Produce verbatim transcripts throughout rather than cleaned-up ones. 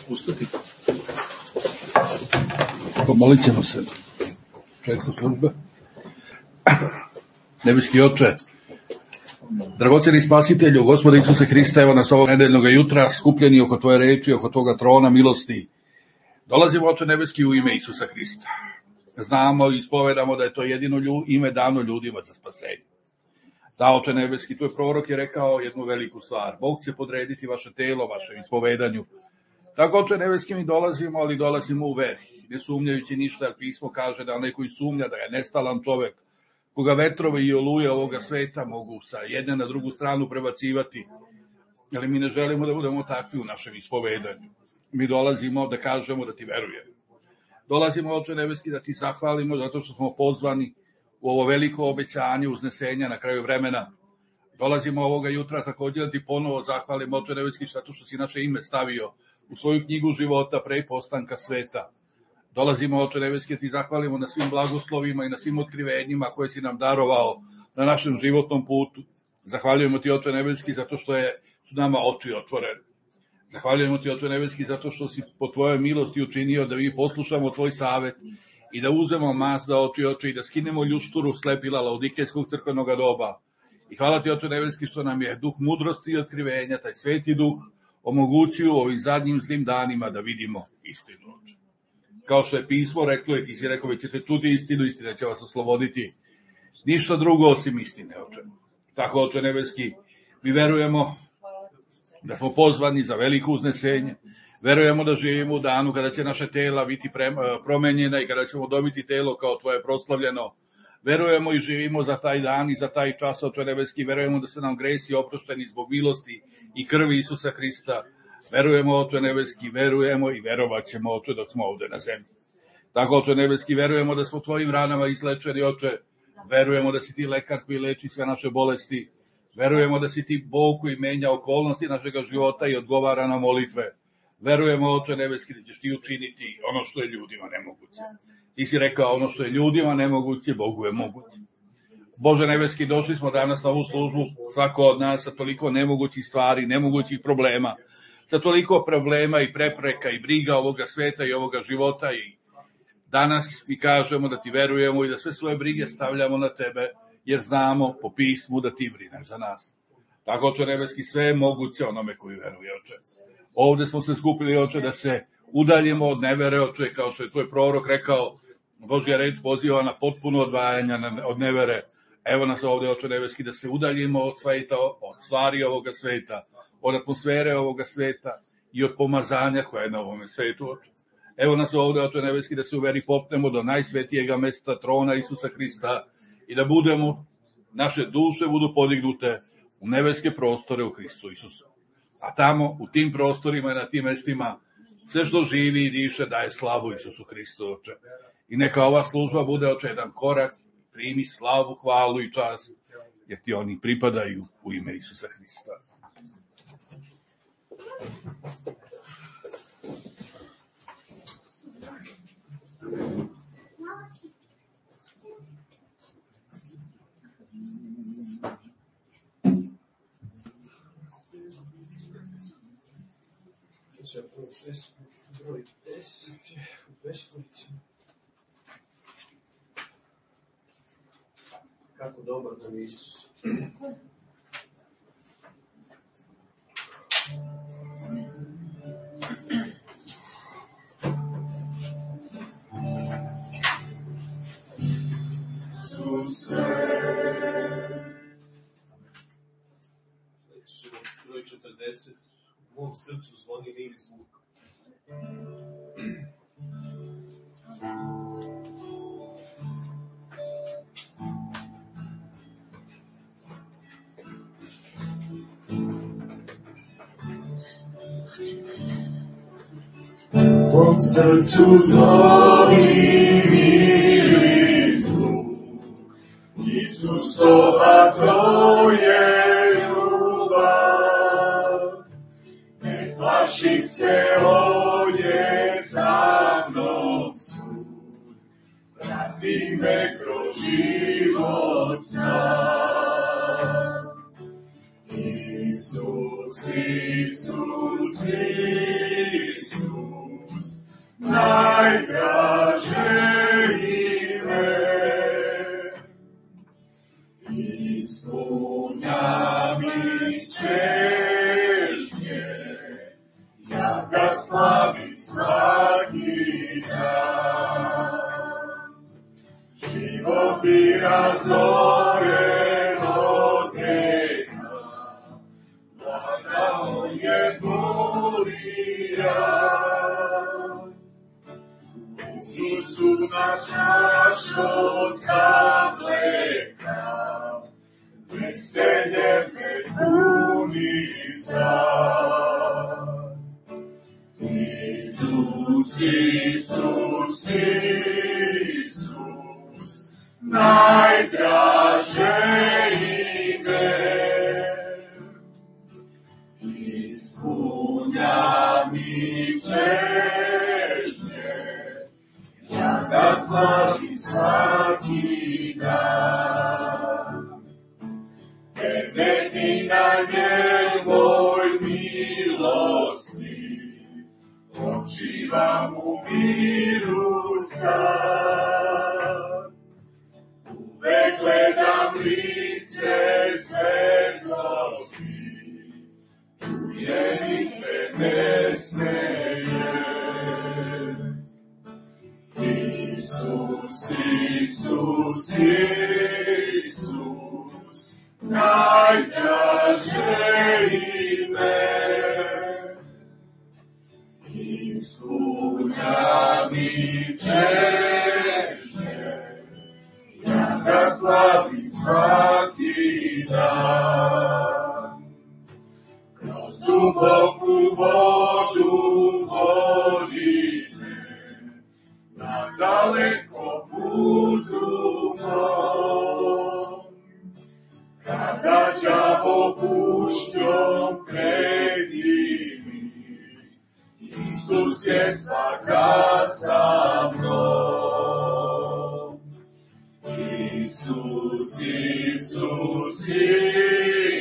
ustati. Pomolit ćemo se. Četko službe. Nebeski Oče, dragoceni Spasitelju, Gospode Isuse Hrista, evo nas ovog nedeljnog jutra, skupljeni oko Tvoje reči, oko Tvoga trona milosti. Dolazimo, Oče nebeski, u ime Isusa Hrista. Znamo i ispovedamo da je to jedino ime dano ljudima za spasenje. Da, Oče nebeski, Tvoj prorok je rekao jednu veliku stvar. Bog će podrediti vaše telo, vašem ispovedanju. Tako, Oče nebeski, mi dolazimo, ali dolazimo u veri, ne sumnjajući ništa, jer pismo kaže da onaj koji sumnja da je nestalan čovek, koga vetrove i oluje ovoga sveta mogu sa jedne na drugu stranu prebacivati, ali mi ne želimo da budemo takvi u našem ispovedanju. Mi dolazimo da kažemo da Ti verujemo. Dolazimo, Oče nebeski, da Ti zahvalimo zato što smo pozvani u ovo veliko obećanje uznesenja na kraju vremena. Dolazimo ovoga jutra također da Ti ponovo zahvalimo, Oče nebeski, zato što si naše ime stavio u svoju knjigu života pre postanka sveta. Dolazimo, Oče nebeski, da Ti zahvalimo na svim blagoslovima i na svim otkrivenjima koje si nam darovao na našem životnom putu. Zahvaljujemo Ti, Oče nebeski, zato što je, su nama oči otvorene. Zahvaljujemo Ti, Oče nebeski, zato što si po Tvojoj milosti učinio da mi poslušamo Tvoj savet i da uzmemo mas za oči oči i da skinemo ljušturu slepila Laodikejskog crkvenog doba. I hvala Ti, Oče nebeski, što nam je duh mudrosti i otkrivenja, taj sveti duh, omogućio u ovim zadnjim zlim danima da vidimo istinu, Oče. Kao što je pismo reklo, i Ti si rekao, vi ćete čuti istinu, istina će vas osloboditi. Ništa drugo osim istine, Oče. Tako, Oče nebeski, mi verujemo da smo pozvani za veliko uznesenje. Verujemo da živimo u danu kada će naše tela biti promenjena i kada ćemo dobiti telo kao Tvoje proslavljeno. Verujemo i živimo za taj dan i za taj čas, Oče nebeski. Verujemo da su nam gresi oprošteni zbog milosti i krvi Isusa Hrista. Verujemo, Oče nebeski, verujemo i verovat ćemo, Oče, dok smo ovde na zemlji. Tako, Oče nebeski, verujemo da smo Tvojim ranama izlečeni, Oče. Verujemo da si Ti lekar koji leči sve naše bolesti. Verujemo da si Ti Bog koji menja okolnosti našega života i odgovara na molitve. Verujemo, Oče nebeski, da ćeš Ti učiniti ono što je ljudima nemoguće. Ti si rekao, ono što je ljudima nemoguće, Bogu je moguće. Bože nebeski, došli smo danas na ovu službu, svako od nas sa toliko nemogućih stvari, nemogućih problema, sa toliko problema i prepreka i briga ovoga sveta i ovoga života. I danas mi kažemo da Ti verujemo i da sve svoje brige stavljamo na Tebe, jer znamo po pismu da Ti brineš za nas. Tako, Oče nebeski, sve je moguće onome koji veruje, Oče. Ovde smo se skupili, Oče, da se udaljimo od nevere, Oče, kao što je Tvoj prorok rekao, Božja reč poziva na potpuno odvajanje od nevere. Evo nas ovde, Oče nebeski, da se udaljimo od sveta, od stvari ovoga sveta, od atmosfere ovoga sveta i od pomazanja koja je na ovome svetu, Oče. Evo nas ovde, Oče nebeski, da se u veri popnemo do najsvetijega mesta trona Isusa Hrista i da budemo, naše duše budu podignute u nebeske prostore u Hristu Isusu. A tamo, u tim prostorima i na tim mestima, sve što živi i diše daje slavu Isusu Hristu, Oče. I neka ova služba bude, Oče, jedan korak, primi slavu, hvalu i čast, jer Ti oni pripadaju u ime Isusa Hrista. Broj deset je u Beskovici. Kako dobar nam je Isus. Broj četrdeset. U mom srcu zvoni mili zvuk. U mom srcu zvoni mili zvuk. Isusova to je ljubav. Ne plaši se, on je sa mnom svud. Prati me kroz život sam. Isus, Isus, Isus. Ispunja mi čežnje, ja ga slavim svaki dan. Život bi razoren od njega, blaga on je volija. Isusa čašo sa mleka, veselje me puni sad. Isus, Isus, Isus, najdraže ime. Ispunja mi čežnje, ja ga slavim svaki dan. Temetni na njegovoj milosti, počivam u miru sad. Uvek gledam lice svetlosti, čuje mi se nesmeje. Isus, Isus, Isus, najdraže ime. Ispunja mi čežnje, ja ga slavim svaki dan. Kroz duboku vodu vodi me, na daleko putu mom. Kada đavo pušćom predi mi, Isus je svaka sa mnom. Isus, Isus,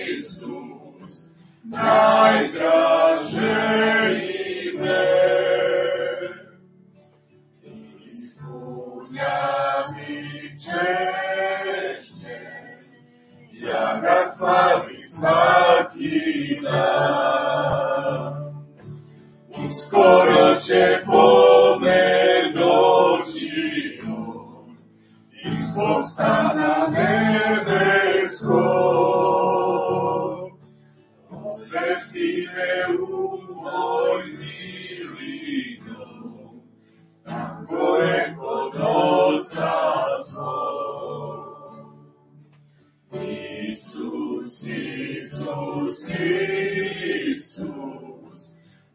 Isus, najdraže ime. Ispunja mi čežnje, ja ga slavim svaki dan. Uskoro će po me doći on, iz svog stana nebeskog. Odvesti me u moj mili dom, tam gore kod Oca svog. Isus, Isus, Isus,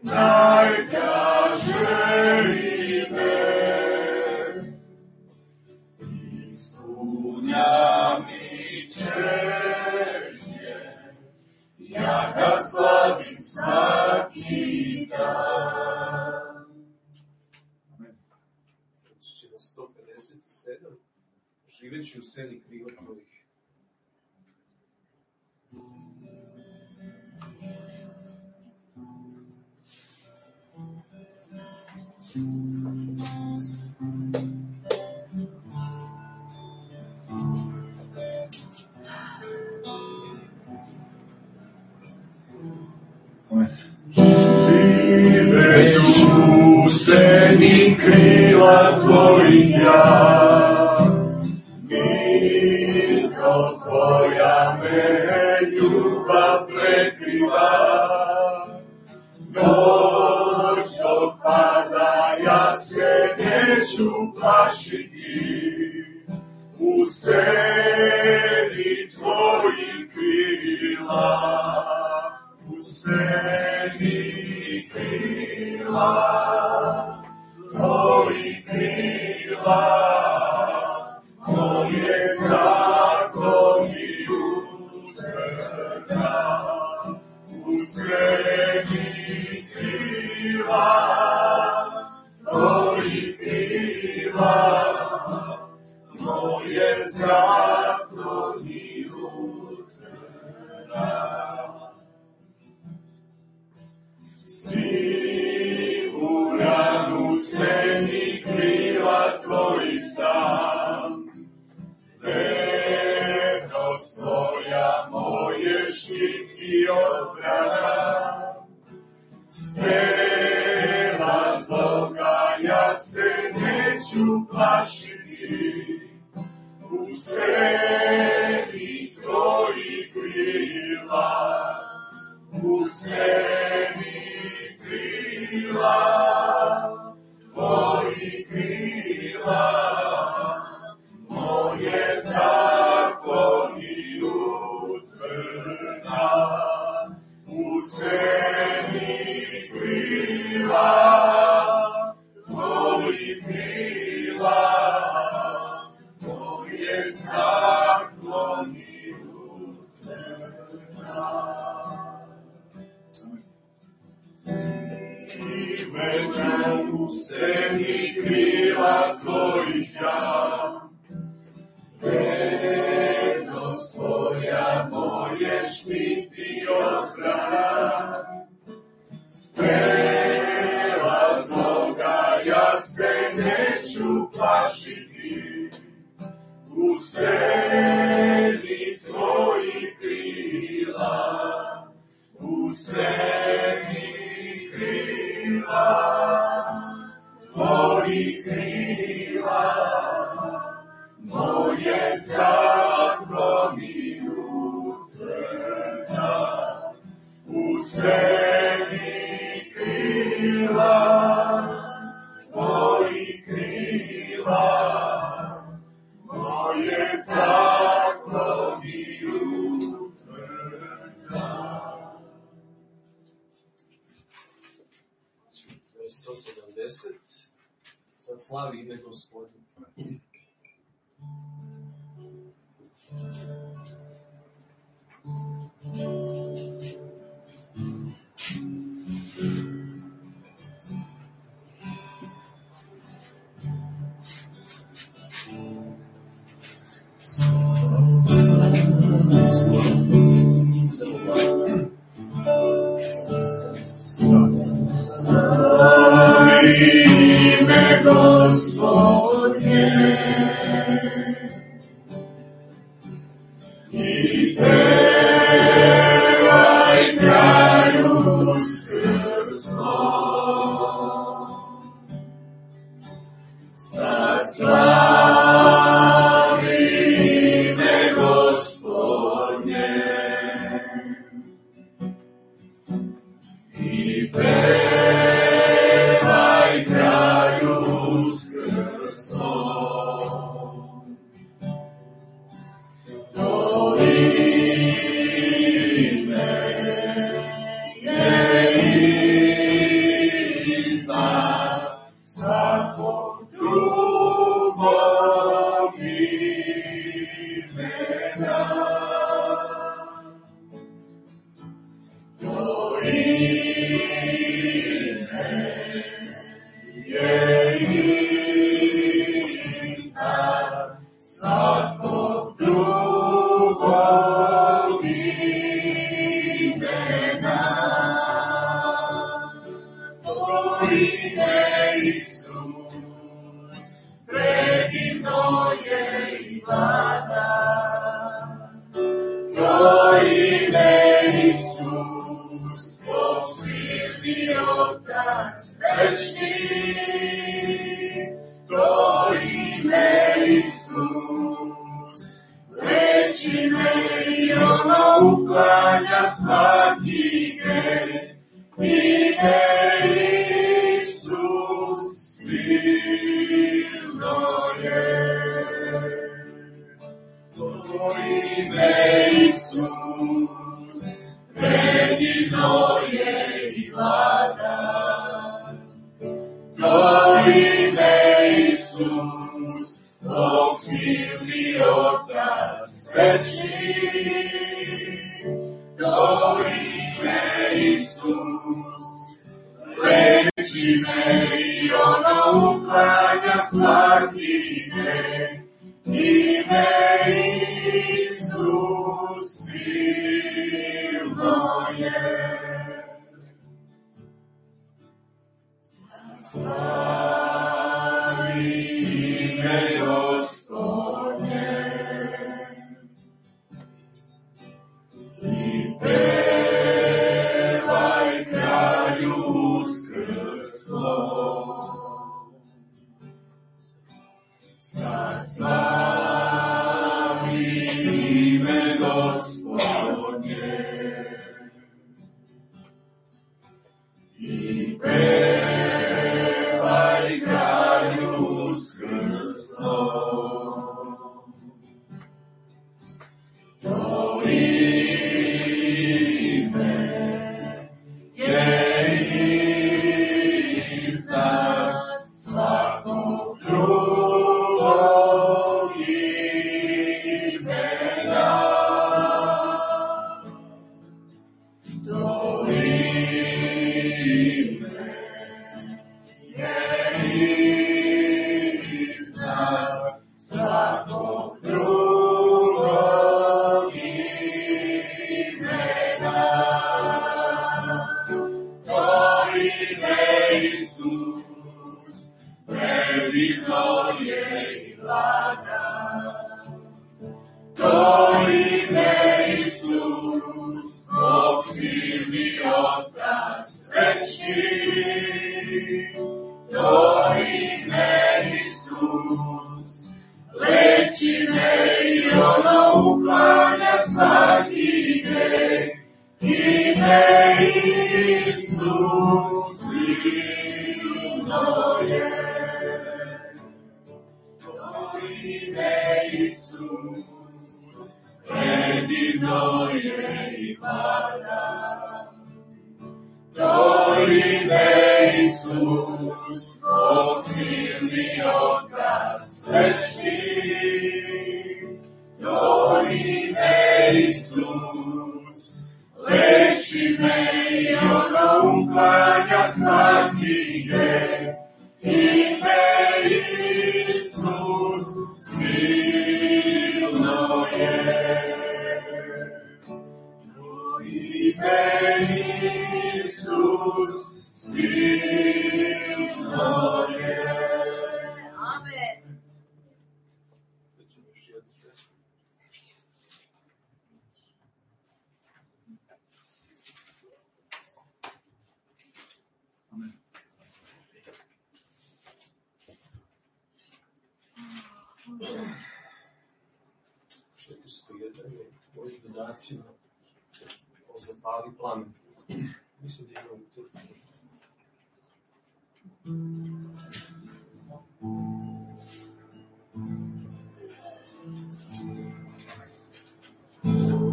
najdraže ime. Ispunja mi čežnje, ja ga slavim svaki dan. Amen. Će na sto pedeset sedam, živeći u seni krila tvojih. Živeću u seni krila tvojih ja, mirko tvoja me ljubav prekriva. Noć dok pada ja se neću plašiti, u seni tvojih krila, u seni krila, tvojih krila, moje zakoni utrda, u seni krila, tvojih krila, moje zakoni utrda. Siguran u seni krila tvoj sam, vernost tvoj Tvoja, moje štit i odbrana. Strela zloga, ja se neću plašiti. U sebi Tvoji krila, u sebi krila, Tvoji krila, moje zakloni utvrda. U sebi krila, Tvoji krila, moje zakloni utvrda. Veđu u sebi krila Tvoji sjam, vrednost Tvoja moje štiti odbrana. Strela zloga, ja se neću plašiti. U sebi Tvoji krila, u sebi krila, Tvoji krila, moje zakloni utvrda. U sebi krila, Tvoji krila, moje zakloni utvrda. sto sedamdeset, sad slavi ime Gospodin. Ime Gospodnje i pevaj kralju skrsnom. Sad slavi ime Gospodnje i pevaj kralju skrsnom. To ime je iznad svakog drugog imena. To ime je iznad svakog drugog imena. To ime Isus, predivno je i vlada. To ime Isus, Bog silni Otac večni. To ime Isus, leči me i ono uklanja svaki greh. Ime Isus silno je. To ime Isus, predivno je i vlada. To ime Isus, Bog silni Otac večni. To ime Isus, leči me i ono uklanja svaki greh. Ime Isus silno je. Slavi ime Gospodnje pevaj kralju skrsnom. To ime je iznad svakog drugog imena. To ime je iznad svakog drugog imena. To ime Isus, predivno je i blaga. To ime Isus, Bog silni Otac večni. To ime Isus, leči me i ono uklanja svaki greh. Ime Isus silno je. To ime Isus, predivno je i blaga. To ime Isus, Bog silni Otac večni. To ime Isus, leči me i ono uklanja svaki greh. Ime Isus silno je. To ime Isus silno je. Amen. četiristo jedan je mojim dodacima o zapali plamen. Mislim da ima u Turku.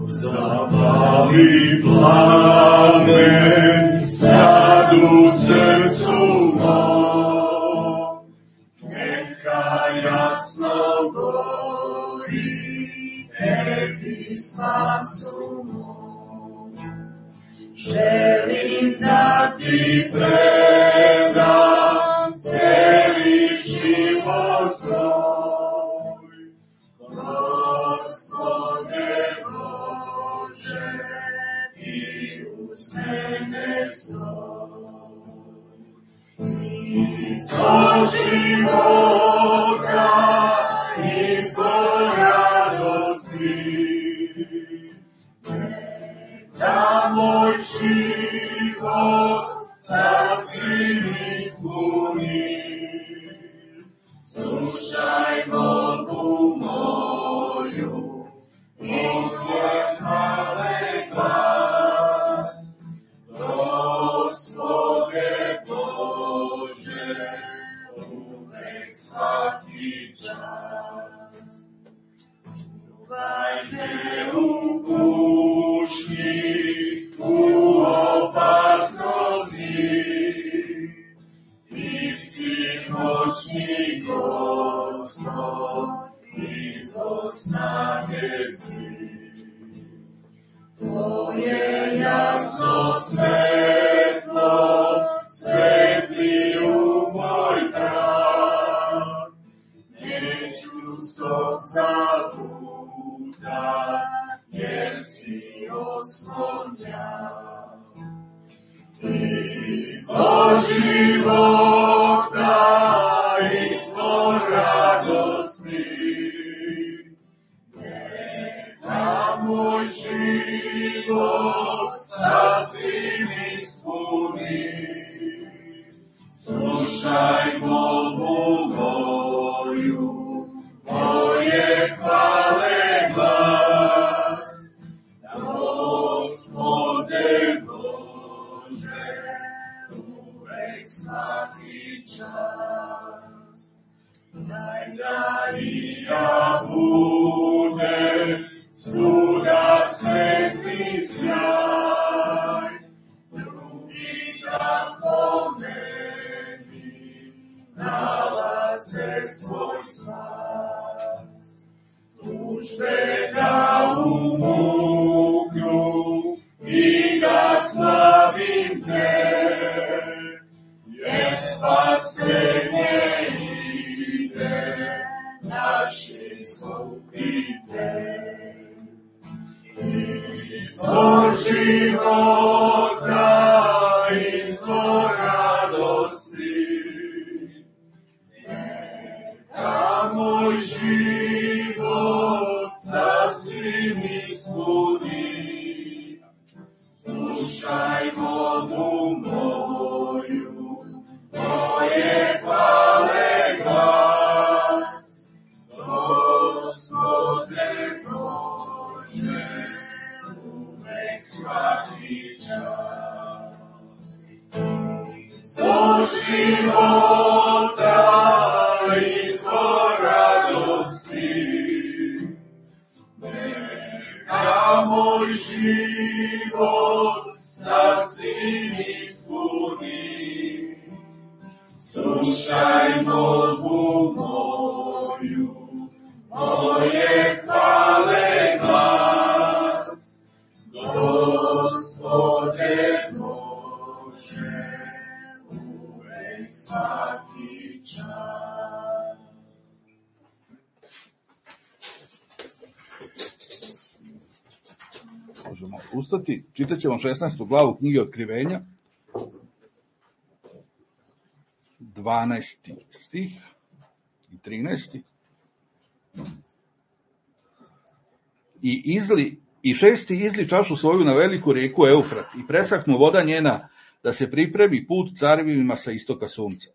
Zapali plamen sad u srcu mom, neka jasno gori tebi spasu mom. Želim da ti predam celi život svoj, Gospode Bože, i uz mene stoj. Izvor života, izvor radosti, neka moj život sasvim ispuni. Slušaj molbu moju, Bože hvale glas. Gospode Bože, uvek svaki čas. Čuvaj me u kušnji, u opasnosti, ti si moćni Gospod, izvor snage si. Tvoje jasno svetlo svetli u moj trag. Neću stop zabuda, jer si oslonja. Izvor života, izvor radosti, neka moj život sasvim ispuni. Slušaj molbu moju, moje hvale glas. Gospode Bože, uvek uvek svaki čas. Daj da i ja budem svuda svetli sjaj, drugi da po meni nalaze svoj spas. Tužbe da umuknu i da slavim te, jer spasenje ide naše iskupite. Izvor života, izvor radosti, neka moj život sasvim ispuni. Slušaj molbu moju, moje hvale glas, Gospode Bože, uvek svaki čas. Izvor života, izvor radosti, neka moj život sasvim ispuni. Slušaj molbu moju, moje hvale glas, Gospode Bože, uvek svaki čas. Možemo ustati, čitat ćemo šesnaestu glavu knjige Otkrivenja, dvanaesti stih i trinaesti. I izli, i šesti izli čašu svoju na veliku rijeku Eufrat i presahnu voda njena, da se pripremi put carevima sa istoka sunca.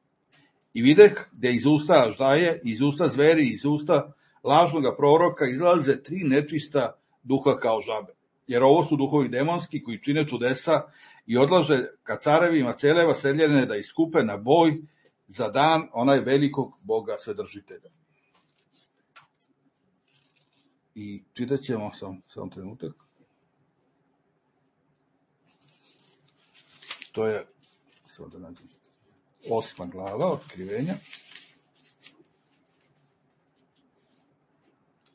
I videh gdje iz usta aždaje, iz usta zveri, iz usta lažnoga proroka izlaze tri nečista duha kao žabe. Jer ovo su duhovi demonski koji čine čudesa i odlaže ka carevima cele vaseljene da iskupe na boj za dan onaj velikog Boga Svedržitelja. I čitat ćemo sam, sam trenutak. To je sad da nađem, osma glava Otkrivenja.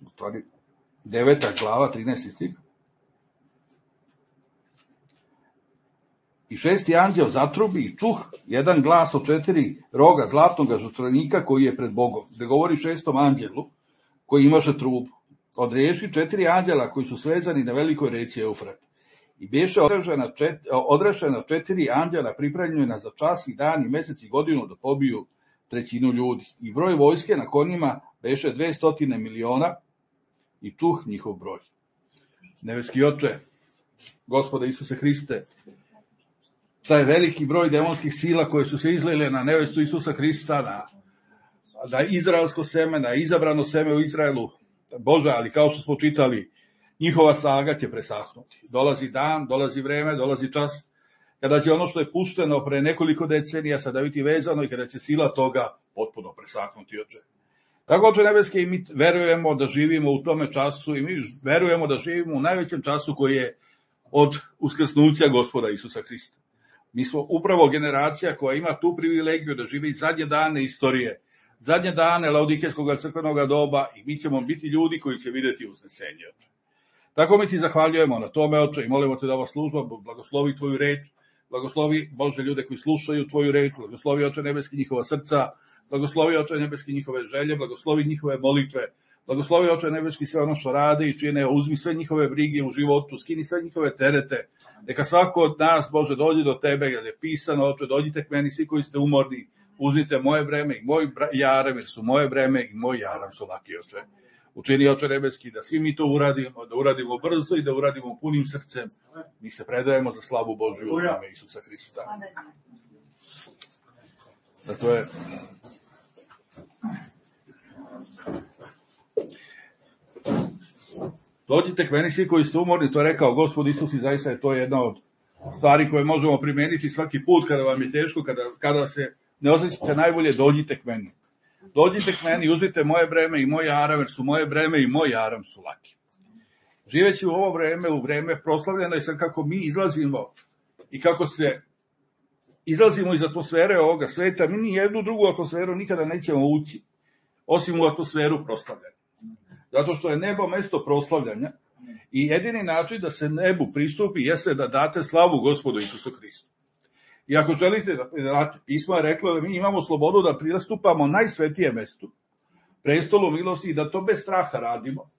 U stvari, deveta glava, trinaesti stih. I šesti anđeo zatrubi i čuh jedan glas od četiri roga zlatnog žrtvenika koji je pred Bogom, gde govori šestom anđelu koji imaše trubu. Odreši četiri anđela koji su svezani na velikoj reci Eufrat. I beše odrešena četiri, odrešena četiri anđela pripremljena za čas i dan i mesec i godinu da pobiju trećinu ljudi. I broj vojske na konjima beše dvestotine miliona i čuh njihov broj. Nebeski Oče, Gospode Isuse Hriste, taj veliki broj demonskih sila koje su se izlile na nevestu Isusa Hrista, na, na izraelsko seme, na izabrano seme u Izraelu, Bože, ali kao što smo čitali, njihova snaga će presahnuti. Dolazi dan, dolazi vreme, dolazi čas, kada će ono što je pušteno pre nekoliko decenija sada biti vezano i kada će sila toga potpuno presahnuti, Oče. Tako, Oče nebeski, i mi verujemo da živimo u tome času i mi verujemo da živimo u najvećem času koji je od uskrsnuća Gospoda Isusa Hrista. Mi smo upravo generacija koja ima tu privilegiju da živi zadnje dane istorije, zadnje dane Laodikejskog crkvenog doba i mi ćemo biti ljudi koji će vidjeti uznesenje, Oče. Tako mi ti zahvaljujemo na tome, Oče, i molimo te da ova služba blagoslovi tvoju reč, blagoslovi, Bože, ljude koji slušaju tvoju reč, blagoslovi, Oče nebeski, njihova srca, blagoslovi, Oče nebeski, njihove želje, blagoslovi njihove molitve, blagoslovi, Oče nebeski, sve ono što rade i čine, uzmi sve njihove brige u životu, skini sve njihove terete, neka svako od nas, Bože, dođe do tebe, jer je pisano, Oče, dođite k meni, svi koji ste umorni, uzmite moje breme i moj jaram, jer su moje breme i moj jaram su laki, Oče. Učini, Oče nebeski, da svi mi to uradimo, da uradimo brzo i da uradimo punim srcem. Mi se predajemo za slavu Božju u ime Isusa Hrista. Dakle, dođite k meni svi koji ste umorni, to je rekao Gospod Isus i zaista je to jedna od stvari koje možemo primeniti svaki put kada vam je teško, kada, kada se ne osjećate najbolje, dođite k meni. Dođite k meni, uzmite moje breme i moj aram, jer su moje breme i moj aram su laki. Živeći u ovo vreme, u vreme proslavljeno je sad kako mi izlazimo i kako se izlazimo iz atmosfere ovoga sveta, mi ni jednu drugu atmosferu nikada nećemo ući, osim u atmosferu proslavljanja. Zato što je nebo mesto proslavljanja i jedini način da se nebu pristupi jeste da date slavu Gospodu Isusu Hristu. I ako želite da date, pismo je reklo da mi imamo slobodu da pristupamo najsvetije mestu, prestolu milosti, i da to bez straha radimo.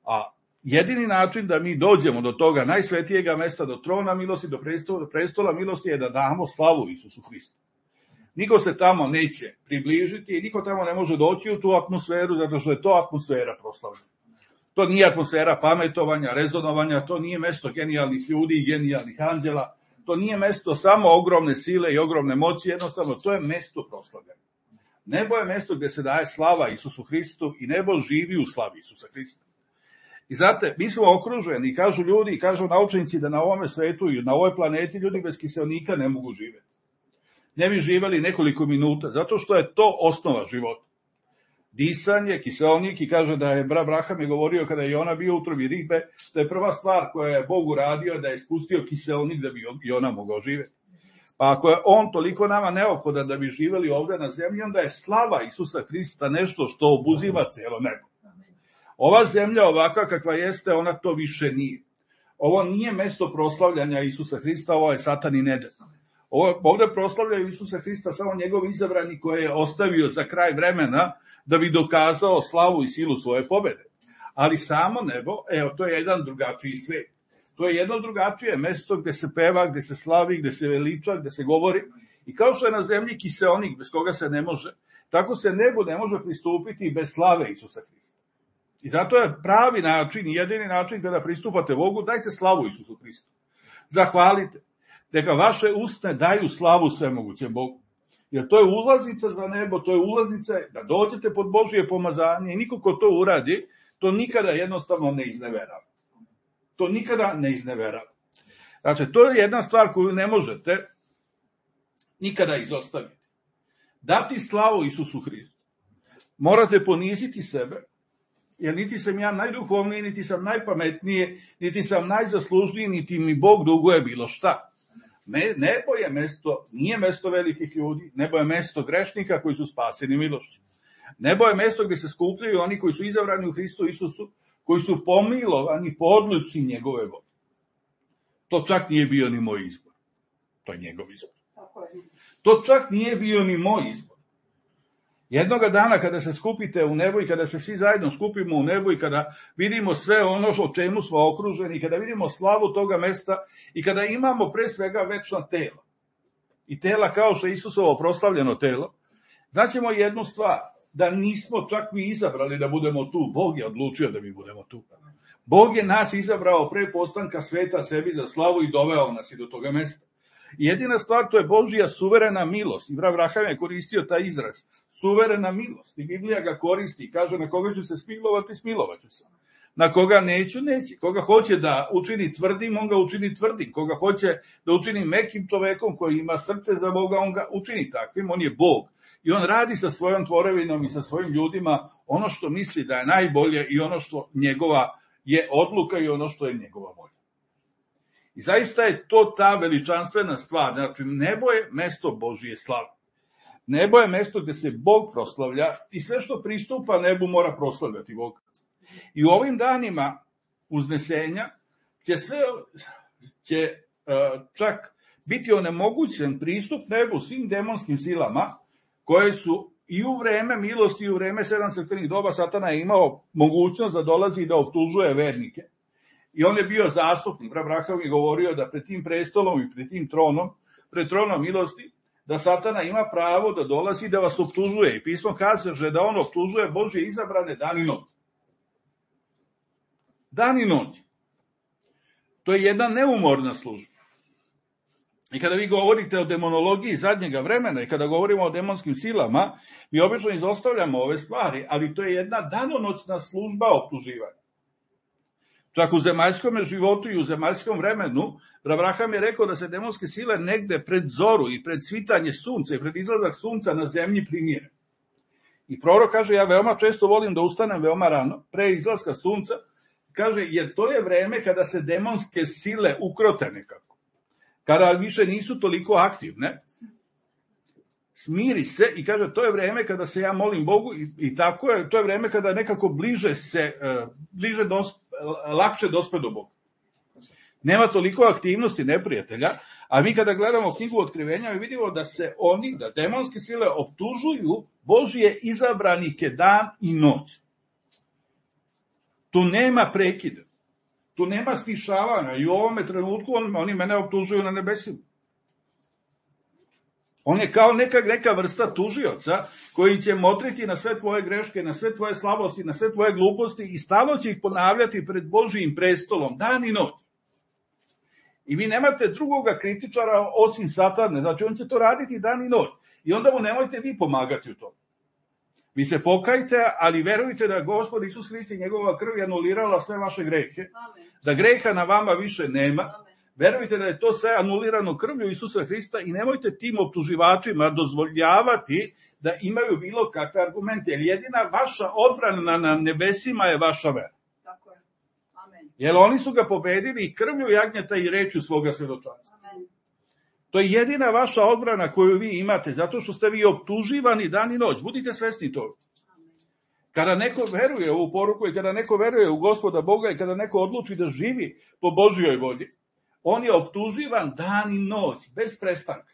A jedini način da mi dođemo do toga najsvetijega mesta, do trona milosti, do prestola, do prestola milosti, je da damo slavu Isusu Hristu. Niko se tamo neće približiti i niko tamo ne može doći u tu atmosferu, zato što je to atmosfera proslavljena. To nije atmosfera pametovanja, rezonovanja, to nije mesto genijalnih ljudi i genijalnih anđela, to nije mesto samo ogromne sile i ogromne moći, jednostavno to je mesto proslavljena. Nebo je mesto gde se daje slava Isusu Hristu i nebo živi u slavi Isusa Hrista. I znate, mi smo okruženi i kažu ljudi, i kažu naučnici da na ovome svetu i na ovoj planeti ljudi bez kiseonika ne mogu živjeti. Ne bi živjeli nekoliko minuta, zato što je to osnova života. Disanje, kiseonik, i kaže da je brat Braham je govorio kada je ona bio u utrobi ribe, da je prva stvar koja je Bog uradio da je spustio kiseonik da bi i ona mogao živjeti. Pa ako je on toliko nama neophodan da bi živjeli ovdje na zemlji, onda je slava Isusa Hrista nešto što obuzima cijelo nebo. Ova zemlja ovakva kakva jeste, ona to više nije. Ovo nije mesto proslavljanja Isusa Hrista, ovo je satanin Eden. Ovo, ovdje proslavljaju Isusa Hrista samo njegov izabrani koje je ostavio za kraj vremena da bi dokazao slavu i silu svoje pobjede. Ali samo nebo, evo, to je jedan drugačiji svet. To je jedno drugačije mesto gde se peva, gde se slavi, gde se veliča, gde se govori. I kao što je na zemlji kiseonik bez koga se ne može, tako se nebu ne može pristupiti bez slave Isusa Hrista. I zato je pravi način i jedini način kada pristupate Bogu, dajte slavu Isusu Hristu. Zahvalite. Neka vaše usne daju slavu svemogućem Bogu. Jer to je ulaznica za nebo, to je ulaznica da dođete pod Božje pomazanje i niko ko to uradi, to nikada jednostavno ne izneverava. To nikada ne izneverava. Znači, to je jedna stvar koju ne možete nikada izostaviti. Dati slavu Isusu Hristu. Morate poniziti sebe, jer niti sam ja najduhovniji, niti sam najpametniji, niti sam najzaslužniji, niti mi Bog duguje bilo šta. Nebo je mesto, nije mesto velikih ljudi, nebo je mesto grešnika koji su spaseni milošću. Nebo je mesto gdje se skupljaju oni koji su izabrani u Hristu Isusu, koji su pomilovani po odluci njegove volje. To čak nije bio ni moj izbor. To je njegov izbor. To čak nije bio ni moj izbor. Jednoga dana kada se skupite u nebo i kada se svi zajedno skupimo u nebo i kada vidimo sve ono o čemu smo okruženi, i kada vidimo slavu toga mesta i kada imamo pre svega večna tela i tela kao što je Isusovo proslavljeno telo, znaćemo jednu stvar, da nismo čak mi izabrali da budemo tu, Bog je odlučio da mi budemo tu. Bog je nas izabrao pre postanka sveta sebi za slavu i doveo nas i do toga mesta. Jedina stvar, to je Božja suverena milost. I brat Braham je koristio taj izraz, suverena milost. I Biblija ga koristi i kaže na koga ću se smilovati, smilovat ću se. Na koga neću, neće. Koga hoće da učini tvrdim, on ga učini tvrdim. Koga hoće da učini mekim čovekom koji ima srce za Boga, on ga učini takvim. On je Bog. I on radi sa svojom tvorevinom i sa svojim ljudima ono što misli da je najbolje i ono što njegova je odluka i ono što je njegova volja. I zaista je to ta veličanstvena stvar. Znači, nebo je mesto Božije slave. Nebo je mesto gde se Bog proslavlja i sve što pristupa nebu mora proslavljati Bog. I u ovim danima uznesenja će sve će uh, čak biti onemogućen pristup nebu svim demonskim silama koje su i u vreme milosti i u vreme sedam crkvenih doba Satana je imao mogućnost da dolazi i da optužuje vernike. I on je bio zastupnik. Brat Braham je govorio da pred tim prestolom i pred tim tronom, pred tronom milosti, da Satana ima pravo da dolazi i da vas optužuje. I pismo kaže da on optužuje Božje izabrane dan i noć. Dan i noć. To je jedna neumorna služba. I kada vi govorite o demonologiji zadnjega vremena i kada govorimo o demonskim silama, mi obično izostavljamo ove stvari, ali to je jedna danonoćna služba optuživanja. Čak u zemaljskom životu i u zemaljskom vremenu, Abraham je rekao da se demonske sile negde pred zoru i pred svitanje sunca i pred izlazak sunca na zemlji primire. I prorok kaže, ja veoma često volim da ustanem veoma rano, pre izlaska sunca, kaže, jer to je vreme kada se demonske sile ukrote nekako. Kada više nisu toliko aktivne, smiri se i kaže, to je vreme kada se ja molim Bogu i, i tako je, to je vreme kada nekako bliže se, bliže dos, lakše dospe do Boga. Nema toliko aktivnosti neprijatelja, a mi kada gledamo knjigu Otkrivenja, mi vidimo da se oni, da demonske sile optužuju Božije izabranike dan i noć. Tu nema prekida, tu nema stišavanja i u ovome trenutku on, oni mene optužuju na nebesima. On je kao neka, neka vrsta tužioca koji će motriti na sve tvoje greške, na sve tvoje slabosti, na sve tvoje gluposti i stalno će ih ponavljati pred Božijim prestolom, dan i noć. I vi nemate drugoga kritičara osim Satane, znači on će to raditi dan i noć. I onda mu nemojte vi pomagati u tom. Vi se pokajte, ali verujte da Gospod Isus Hrist i njegova krv je anulirala sve vaše grehe, Amen. Da greha na vama više nema. Amen. Verujte da je to sve anulirano krvlju Isusa Hrista i nemojte tim optuživačima dozvoljavati da imaju bilo kakve argumente, jer jedina vaša odbrana na nebesima je vaša vera. Tako je. Amen. Jer oni su ga pobedili i krvlju jagnjeta i rečju svoga svedočanstva. Amen. To je jedina vaša odbrana koju vi imate, zato što ste vi optuživani dan i noć. Budite svesni toga. Kada neko veruje u ovu poruku i kada neko veruje u Gospoda Boga i kada neko odluči da živi po Božjoj volji, on je optuživan dan i noć, bez prestanka.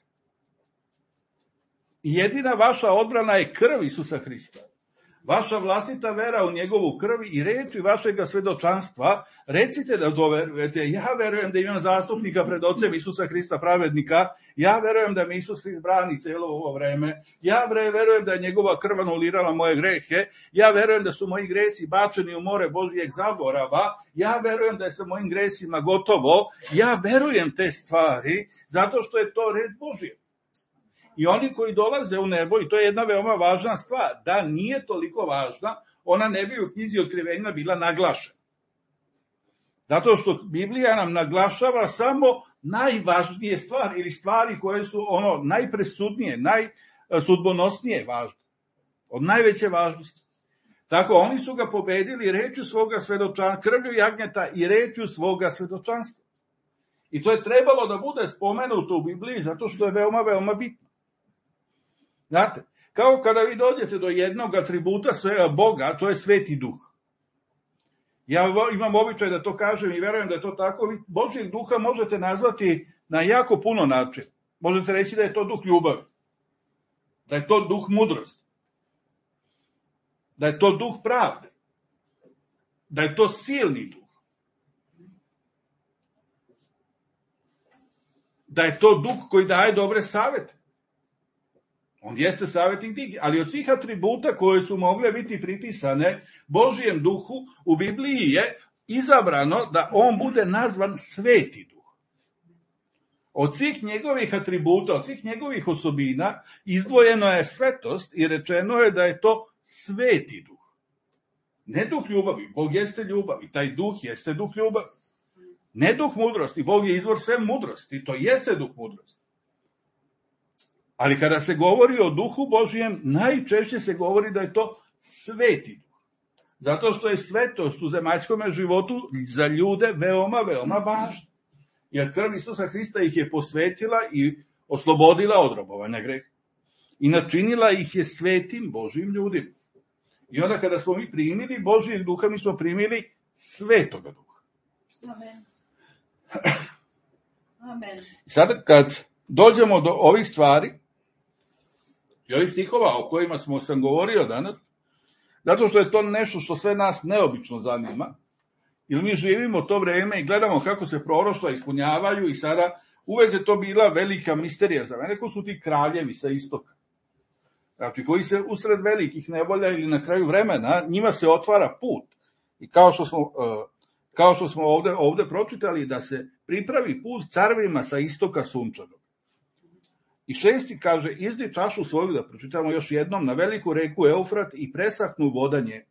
I jedina vaša odbrana je krv Isusa Hrista. Vaša vlastita vera u njegovu krv i reči vašega svedočanstva, recite da doverujete, ja verujem da imam zastupnika pred Ocem Isusa Hrista pravednika, ja verujem da mi Isus Hrist brani celo ovo vreme, ja verujem da je njegova krv anulirala moje grehe, ja verujem da su moji gresi bačeni u more Božijeg zaborava, ja verujem da je sa mojim gresima gotovo, ja verujem te stvari, zato što je to red Božije. I oni koji dolaze u nebo, i to je jedna veoma važna stvar, da nije toliko važna, ona ne bi u knjizi Otkrivenja bila naglašena. Zato što Biblija nam naglašava samo najvažnije stvari, ili stvari koje su ono najpresudnije, najsudbonosnije važne, od najveće važnosti. Tako, oni su ga pobedili rečju svoga svedočanstva, krvlju jagnjeta i rečju svoga svedočanstva. I to je trebalo da bude spomenuto u Bibliji, zato što je veoma, veoma bitno. Znate, kao kada vi dođete do jednog atributa svega Boga, to je Sveti Duh. Ja imam običaj da to kažem i verujem da je to tako. Vi Božjeg duha možete nazvati na jako puno načina. Možete reći da je to duh ljubavi, da je to duh mudrosti, da je to duh pravde, da je to silni duh, da je to duh koji daje dobre savete. On jeste savjetnik tih, ali od svih atributa koje su mogle biti pripisane Božijem duhu, u Bibliji je izabrano da on bude nazvan Sveti duh. Od svih njegovih atributa, od svih njegovih osobina, izdvojeno je svetost i rečeno je da je to Sveti duh. Ne duh ljubavi, Bog jeste ljubav i taj duh jeste duh ljubavi. Ne duh mudrosti, Bog je izvor sve mudrosti, to jeste duh mudrosti. Ali kada se govori o duhu Božijem, najčešće se govori da je to Sveti duh. Zato što je svetost u zemaljskom životu za ljude veoma, veoma važna. Jer krv Isusa Hrista ih je posvetila i oslobodila od robovanja greha. I načinila ih je svetim Božijim ljudima. I onda kada smo mi primili Božijeg duha, mi smo primili Svetoga duha. Amen. Amen. Sada kad dođemo do ovih stvari, i ovih stihova o kojima smo sam govorio danas, zato što je to nešto što sve nas neobično zanima, jer mi živimo to vreme i gledamo kako se proroštva ispunjavaju i sada uvek je to bila velika misterija za mene, ko su ti kraljevi sa istoka. Znači, koji se usred velikih nevolja ili na kraju vremena, njima se otvara put. I kao što smo, kao što smo ovde, ovde pročitali, da se pripravi put carevima sa istoka sunčanog. I šesti kaže, izdi čašu svoju, da pročitamo još jednom, na veliku reku Eufrat i presahnu voda nje.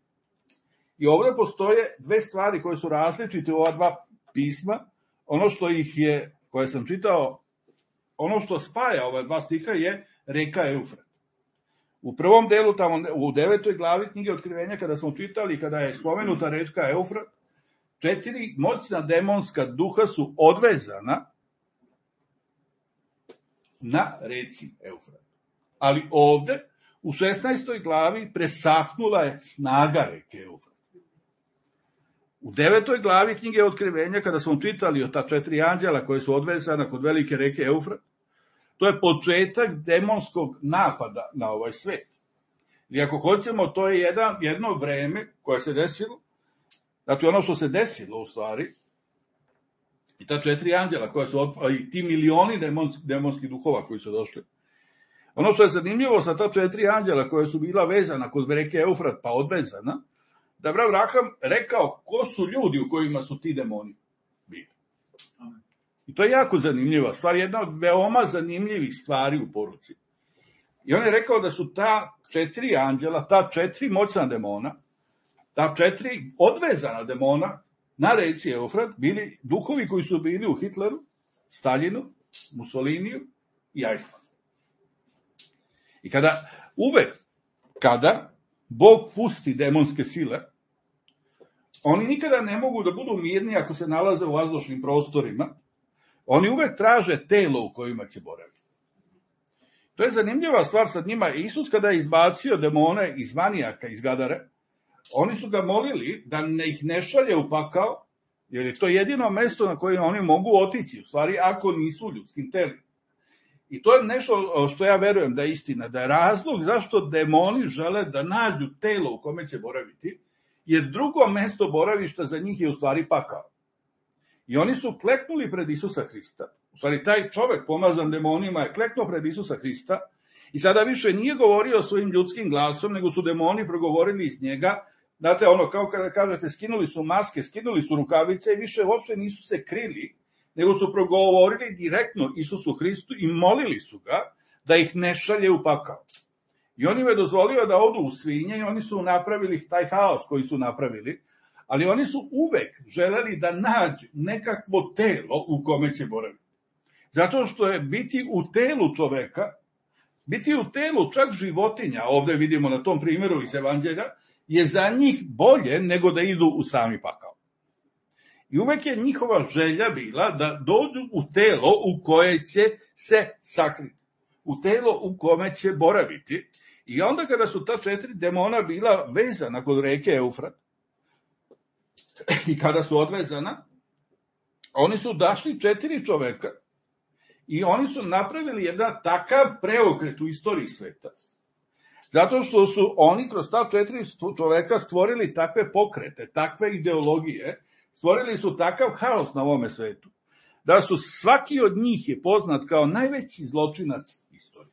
I ovdje postoje dve stvari koje su različite u ova dva pisma. Ono što ih je, koje sam čitao, ono što spaja ova dva stiha je reka Eufrat. U prvom delu, tamo u devetoj glavi knjige Otkrivenja, kada smo čitali, kada je spomenuta reka Eufrat, četiri moćna demonska duha su odvezana na reci Eufrat. Ali ovde, u šesnaestoj glavi, presahnula je snaga reke Eufrat. U devetoj glavi knjige Otkrivenja, kada smo čitali o ta četiri anđela koje su odvezana kod velike reke Eufrat, to je početak demonskog napada na ovaj svet. I ako hoćemo, to je jedan, jedno vreme koje se desilo, znači ono što se desilo u stvari, i ta četiri anđela koja su, i ti milioni demonskih, demonskih duhova koji su došli. Ono što je zanimljivo sa ta četiri anđela koja su bila vezana kod reke Eufrat pa odvezana, da je Abraham rekao ko su ljudi u kojima su ti demoni bili. I to je jako zanimljiva stvar, jedna od veoma zanimljivih stvari u poruci. I on je rekao da su ta četiri anđela, ta četiri moćna demona, ta četiri odvezana demona na reci Eufrat bili duhovi koji su bili u Hitleru, Staljinu, Mussoliniju i Eichmannu. I kada, uvek kada Bog pusti demonske sile, oni nikada ne mogu da budu mirni ako se nalaze u vazdušnim prostorima, oni uvek traže telo u kojima će boraviti. To je zanimljiva stvar sa njima. Isus kada je izbacio demone iz manijaka, iz Gadare, oni su ga molili da ne ih ne šalje u pakao, jer je to jedino mesto na koje oni mogu otići, u stvari ako nisu u ljudskim telima. I to je nešto što ja verujem da je istina, da je razlog zašto demoni žele da nađu telo u kome će boraviti, jer drugo mesto boravišta za njih je u stvari pakao. I oni su kleknuli pred Isusa Hrista. U stvari, taj čovek pomazan demonima je kleknuo pred Isusa Hrista i sada više nije govorio svojim ljudskim glasom, nego su demoni progovorili iz njega. Znate, ono, kao kada kažete, skinuli su maske, skinuli su rukavice i više uopšte nisu se krili, nego su progovorili direktno Isusu Hristu i molili su ga da ih ne šalje u pakao. I on im je dozvolio da odu u svinje i oni su napravili taj haos koji su napravili, ali oni su uvek želeli da nađu nekakvo telo u kome će boraviti. Zato što je biti u telu čoveka, biti u telu čak životinja, ovde vidimo na tom primjeru iz Evanđelja, je za njih bolje nego da idu u sami pakao. I uvek je njihova želja bila da dođu u telo u koje će se sakriti, u telo u kome će boraviti. I onda kada su ta četiri demona bila vezana kod reke Eufrat, i kada su odvezana, oni su dašli četiri čoveka i oni su napravili jedan takav preokret u istoriji sveta. Zato što su oni kroz ta četiri čoveka stvorili takve pokrete, takve ideologije, stvorili su takav haos na ovome svetu, da su svaki od njih je poznat kao najveći zločinac istorije.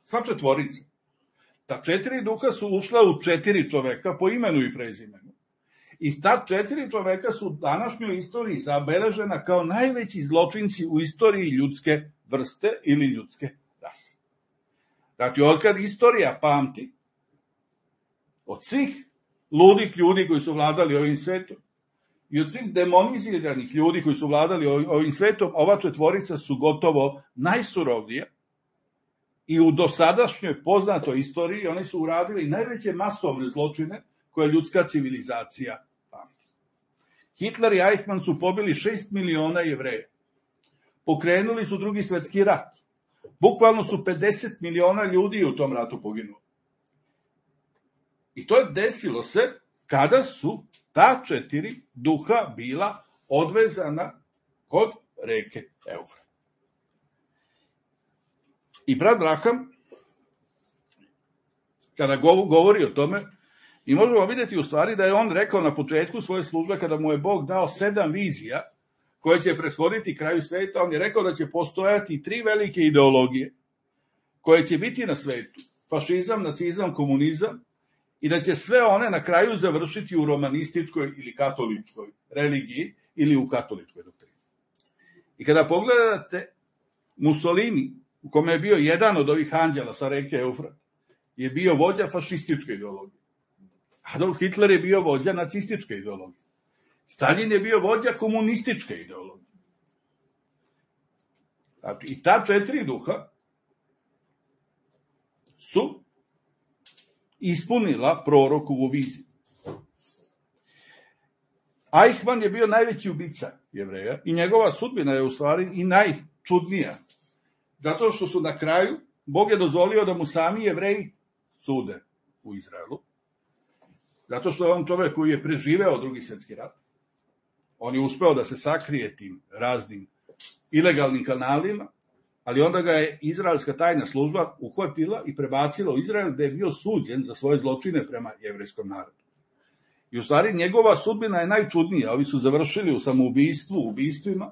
Sva četvorica. Ta četiri duha su ušla u četiri čoveka po imenu i prezimenu. I ta četiri čoveka su u današnjoj istoriji zabeležena kao najveći zločinci u istoriji ljudske vrste ili ljudske rase. Znači, otkad istorija pamti, od svih ludih ljudi koji su vladali ovim svetom i od svih demoniziranih ljudi koji su vladali ovim svetom, ova četvorica su gotovo najsurovnije i u dosadašnjoj poznatoj istoriji oni su uradili najveće masovne zločine koje ljudska civilizacija pamti. Hitler i Eichmann su pobili šest miliona Jevreja. Pokrenuli su drugi svetski rat. Bukvalno su pedeset miliona ljudi u tom ratu poginulo. I to je desilo se kada su ta četiri duha bila odvezana kod reke Eufrat. I brat Braham, kada govori o tome, i možemo vidjeti u stvari da je on rekao na početku svoje službe, kada mu je Bog dao sedam vizija koje će prethoditi kraju sveta, on je rekao da će postojati tri velike ideologije koje će biti na svetu. Fašizam, nacizam, komunizam, i da će sve one na kraju završiti u romanističkoj ili katoličkoj religiji ili u katoličkoj doktrini. I kada pogledate Mussolini, u kome je bio jedan od ovih anđela sa reke Eufrat, je bio vođa fašističke ideologije. Adolf Hitler je bio vođa nacističke ideologije. Stalin je bio vođa komunističke ideologije. Znači, i ta četiri duha su ispunila prorokovu viziju. Eichmann je bio najveći ubica Jevreja i njegova sudbina je u stvari i najčudnija. Zato što su na kraju, Bog je dozvolio da mu sami Jevreji sude u Izraelu. Zato što je on čovek koji je preživeo drugi svjetski rat. On je uspeo da se sakrije tim raznim ilegalnim kanalima, ali onda ga je izraelska tajna služba uhvatila i prebacila u Izrael, gde je bio suđen za svoje zločine prema jevrejskom narodu. I u stvari njegova sudbina je najčudnija. Ovi su završili u samoubistvu, ubistvima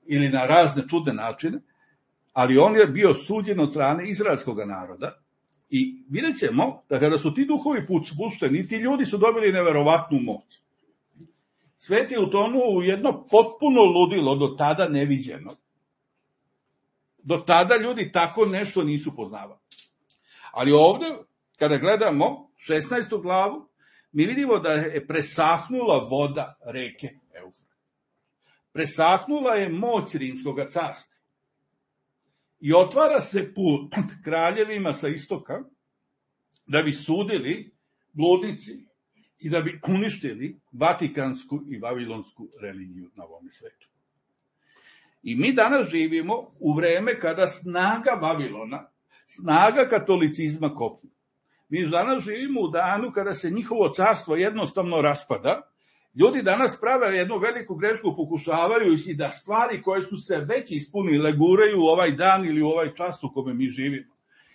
ili na razne čudne načine, ali on je bio suđen od strane izraelskog naroda. I vidjet ćemo da kada su ti duhovi pušteni, ti ljudi su dobili neverovatnu moć. Svet je utonuo u jedno potpuno ludilo, do tada neviđeno. Do tada ljudi tako nešto nisu poznavali. Ali ovde, kada gledamo šesnaestu glavu, mi vidimo da je presahnula voda reke Eufrat. Presahnula je moć Rimskog carstva. I otvara se put kraljevima sa istoka da bi sudili bludnici i da bi uništili vatikansku i vavilonsku religiju na ovom svetu. I mi danas živimo u vreme kada snaga Vavilona, snaga katolicizma kopni. Mi danas živimo u danu kada se njihovo carstvo jednostavno raspada. Ljudi danas prave jednu veliku grešku, pokušavaju i da stvari koje su se već ispunile guraju u ovaj dan ili u ovaj čas u kome mi živimo.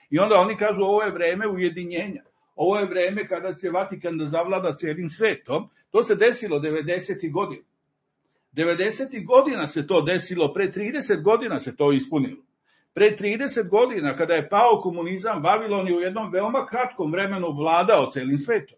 I onda oni kažu ovo je vreme ujedinjenja. Ovo je vreme kada će Vatikan da zavlada celim svetom. To se desilo devedesetih godina. devedesetih godina se to desilo, pre trideset godina se to ispunilo. Pre trideset godina, kada je pao komunizam, Vavilon je u jednom veoma kratkom vremenu vladao celim svetom.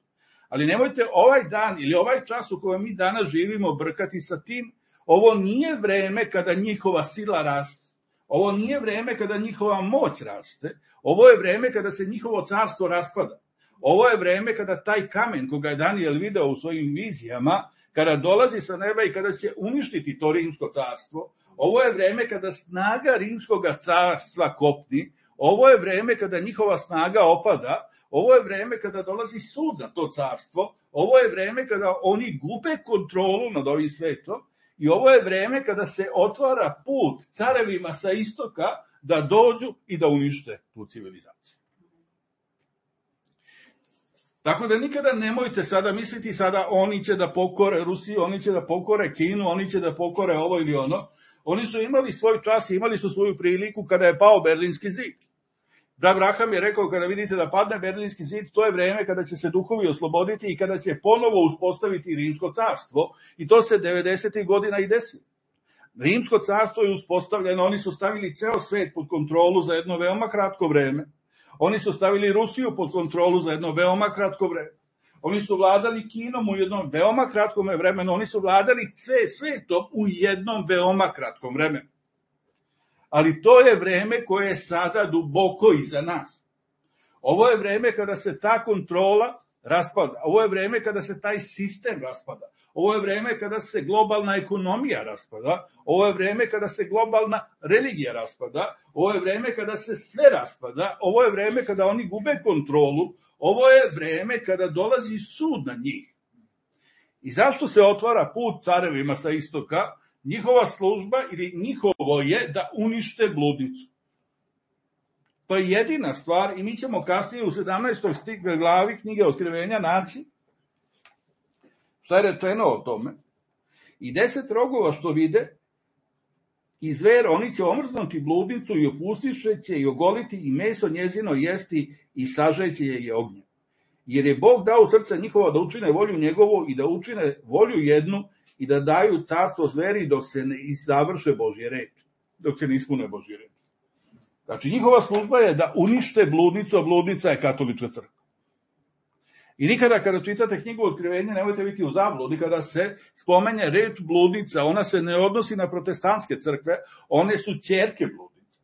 Ali nemojte ovaj dan ili ovaj čas u kojem mi danas živimo brkati sa tim. Ovo nije vreme kada njihova sila raste. Ovo nije vreme kada njihova moć raste. Ovo je vreme kada se njihovo carstvo raspada. Ovo je vreme kada taj kamen koga je Danijel video u svojim vizijama, kada dolazi sa neba i kada će uništiti to rimsko carstvo. Ovo je vreme kada snaga rimskog carstva kopni. Ovo je vreme kada njihova snaga opada. Ovo je vreme kada dolazi sud na to carstvo. Ovo je vreme kada oni gube kontrolu nad ovim svetom. I ovo je vreme kada se otvara put carevima sa istoka da dođu i da unište tu civilizaciju. Tako da nikada nemojte sada misliti sada oni će da pokore Rusiju, oni će da pokore Kinu, oni će da pokore ovo ili ono. Oni su imali svoj čas, imali su svoju priliku kada je pao Berlinski zid. Abraham je rekao, kada vidite da padne Berlinski zid, to je vreme kada će se duhovi osloboditi i kada će ponovo uspostaviti Rimsko carstvo. I to se devedesetih godina i desilo. Rimsko carstvo je uspostavljeno, oni su stavili ceo svet pod kontrolu za jedno veoma kratko vreme. Oni su stavili Rusiju pod kontrolu za jedno veoma kratko vreme. Oni su vladali Kinom u jednom veoma kratkom vremenu. Oni su vladali sve svetom u jednom veoma kratkom vremenu. Ali to je vreme koje je sada duboko iza nas. Ovo je vreme kada se ta kontrola raspada. Ovo je vreme kada se taj sistem raspada. Ovo je vreme kada se globalna ekonomija raspada. Ovo je vreme kada se globalna religija raspada. Ovo je vreme kada se sve raspada. Ovo je vreme kada oni gube kontrolu. Ovo je vreme kada dolazi sud na njih. I zašto se otvara put carevima sa istoka? Njihova služba ili njihovo je da unište bludnicu. To je jedina stvar i mi ćemo kasnije u sedamnaestoj glavi knjige Otkrivenja naći šta je rečeno o tome. I deset rogova što vide i zver, oni će omrznuti bludnicu i opustiše će i ogoliti i meso njezino jesti i sažeće je i ognjem. Jer je Bog dao u srce njihova da učine volju njegovu i da učine volju jednu i da daju carstvo zveri dok se ne završe Božje reči, dok se ne ispune Božje reči. Znači, njihova služba je da unište bludnicu, a bludnica je katolička crkva. I nikada kada čitate knjigu Otkrivenja, nemojte biti u zabludi, kada se spomenje reč bludnica, ona se ne odnosi na protestantske crkve, one su ćerke bludnice.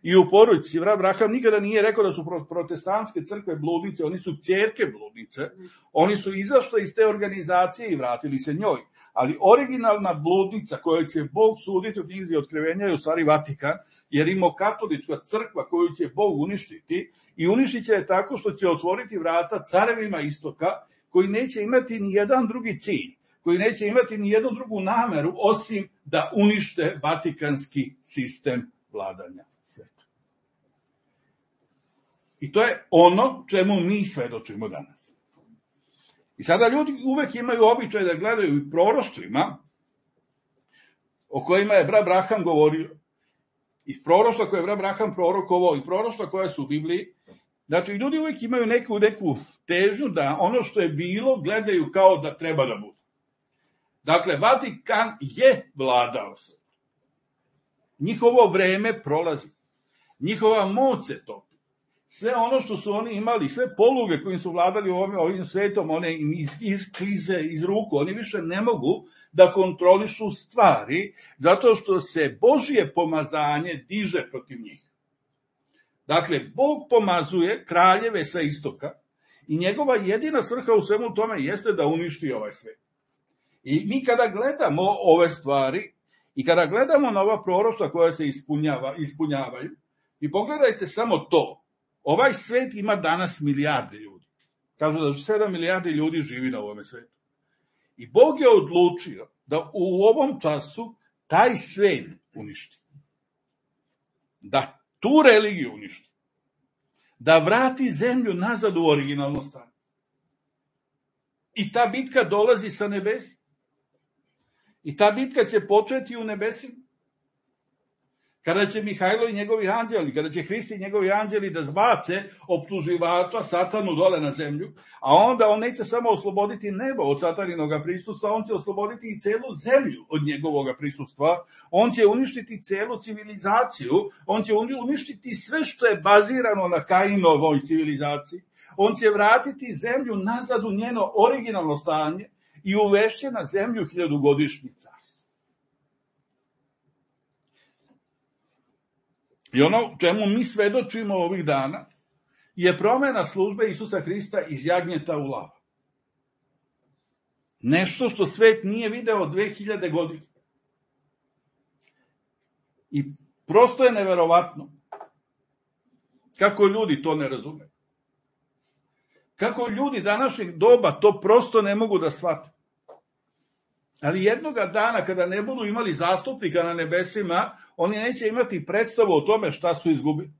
i u poruci. Vrat Braham nikada nije rekao da su protestantske crkve bludnice, oni su ćerke bludnice, oni su izašli iz te organizacije i vratili se njoj. Ali originalna bludnica koju će Bog suditi u knjizi Otkrivenja je u stvari Vatikan, jer rimokatolička crkva koju će Bog uništiti i uništit će je tako što će otvoriti vrata carevima istoka koji neće imati ni jedan drugi cilj, koji neće imati ni jednu drugu nameru osim da unište vatikanski sistem vladanja svetom. I to je ono čemu mi svedočimo danas. I sada ljudi uvek imaju običaj da gledaju i proroštvima o kojima je brat Braham govorio. I proroštva koje je brat Braham prorokovao i proroštva koja su u Bibliji. Znači, ljudi uvek imaju neku, neku težnju da ono što je bilo gledaju kao da treba da bude. Dakle, Vatikan je vladao se. Njihovo vreme prolazi. Njihova moć se topi. Sve ono što su oni imali, sve poluge kojim su vladali ovim, ovim svetom, one isklize iz ruku, oni više ne mogu da kontrolišu stvari, zato što se Božje pomazanje diže protiv njih. Dakle, Bog pomazuje kraljeve sa istoka i njegova jedina svrha u svemu tome jeste da uništi ovaj svet. I mi kada gledamo ove stvari i kada gledamo na ova proroštva koja se ispunjava, ispunjavaju, i pogledajte samo to. Ovaj svet ima danas milijarde ljudi. Kažu da sedam milijardi ljudi živi na ovome svetu. I Bog je odlučio da u ovom času taj svet uništi. Da tu religiju uništi. Da vrati zemlju nazad u originalno stanje. I ta bitka dolazi sa nebesa. I ta bitka će početi u nebesima. Kada će Mihajlo i njegovi anđeli, kada će Hrist i njegovi anđeli da zbace optuživača satanu dole na zemlju, a onda on neće samo osloboditi nebo od sataninoga prisustva, on će osloboditi i celu zemlju od njegovoga prisustva, on će uništiti celu civilizaciju, on će uništiti sve što je bazirano na Kainovoj civilizaciji, on će vratiti zemlju nazad u njeno originalno stanje i uvešće na zemlju hiljadugodišnjica. I ono čemu mi svedočimo ovih dana je promena službe Isusa Hrista iz jagnjeta u lav. Nešto što svet nije video dve hiljade godina. I prosto je neverovatno kako ljudi to ne razume. Kako ljudi današnjeg doba to prosto ne mogu da shvate. Ali jednoga dana kada ne budu imali zastupnika na nebesima, oni neće imati predstavu o tome šta su izgubili.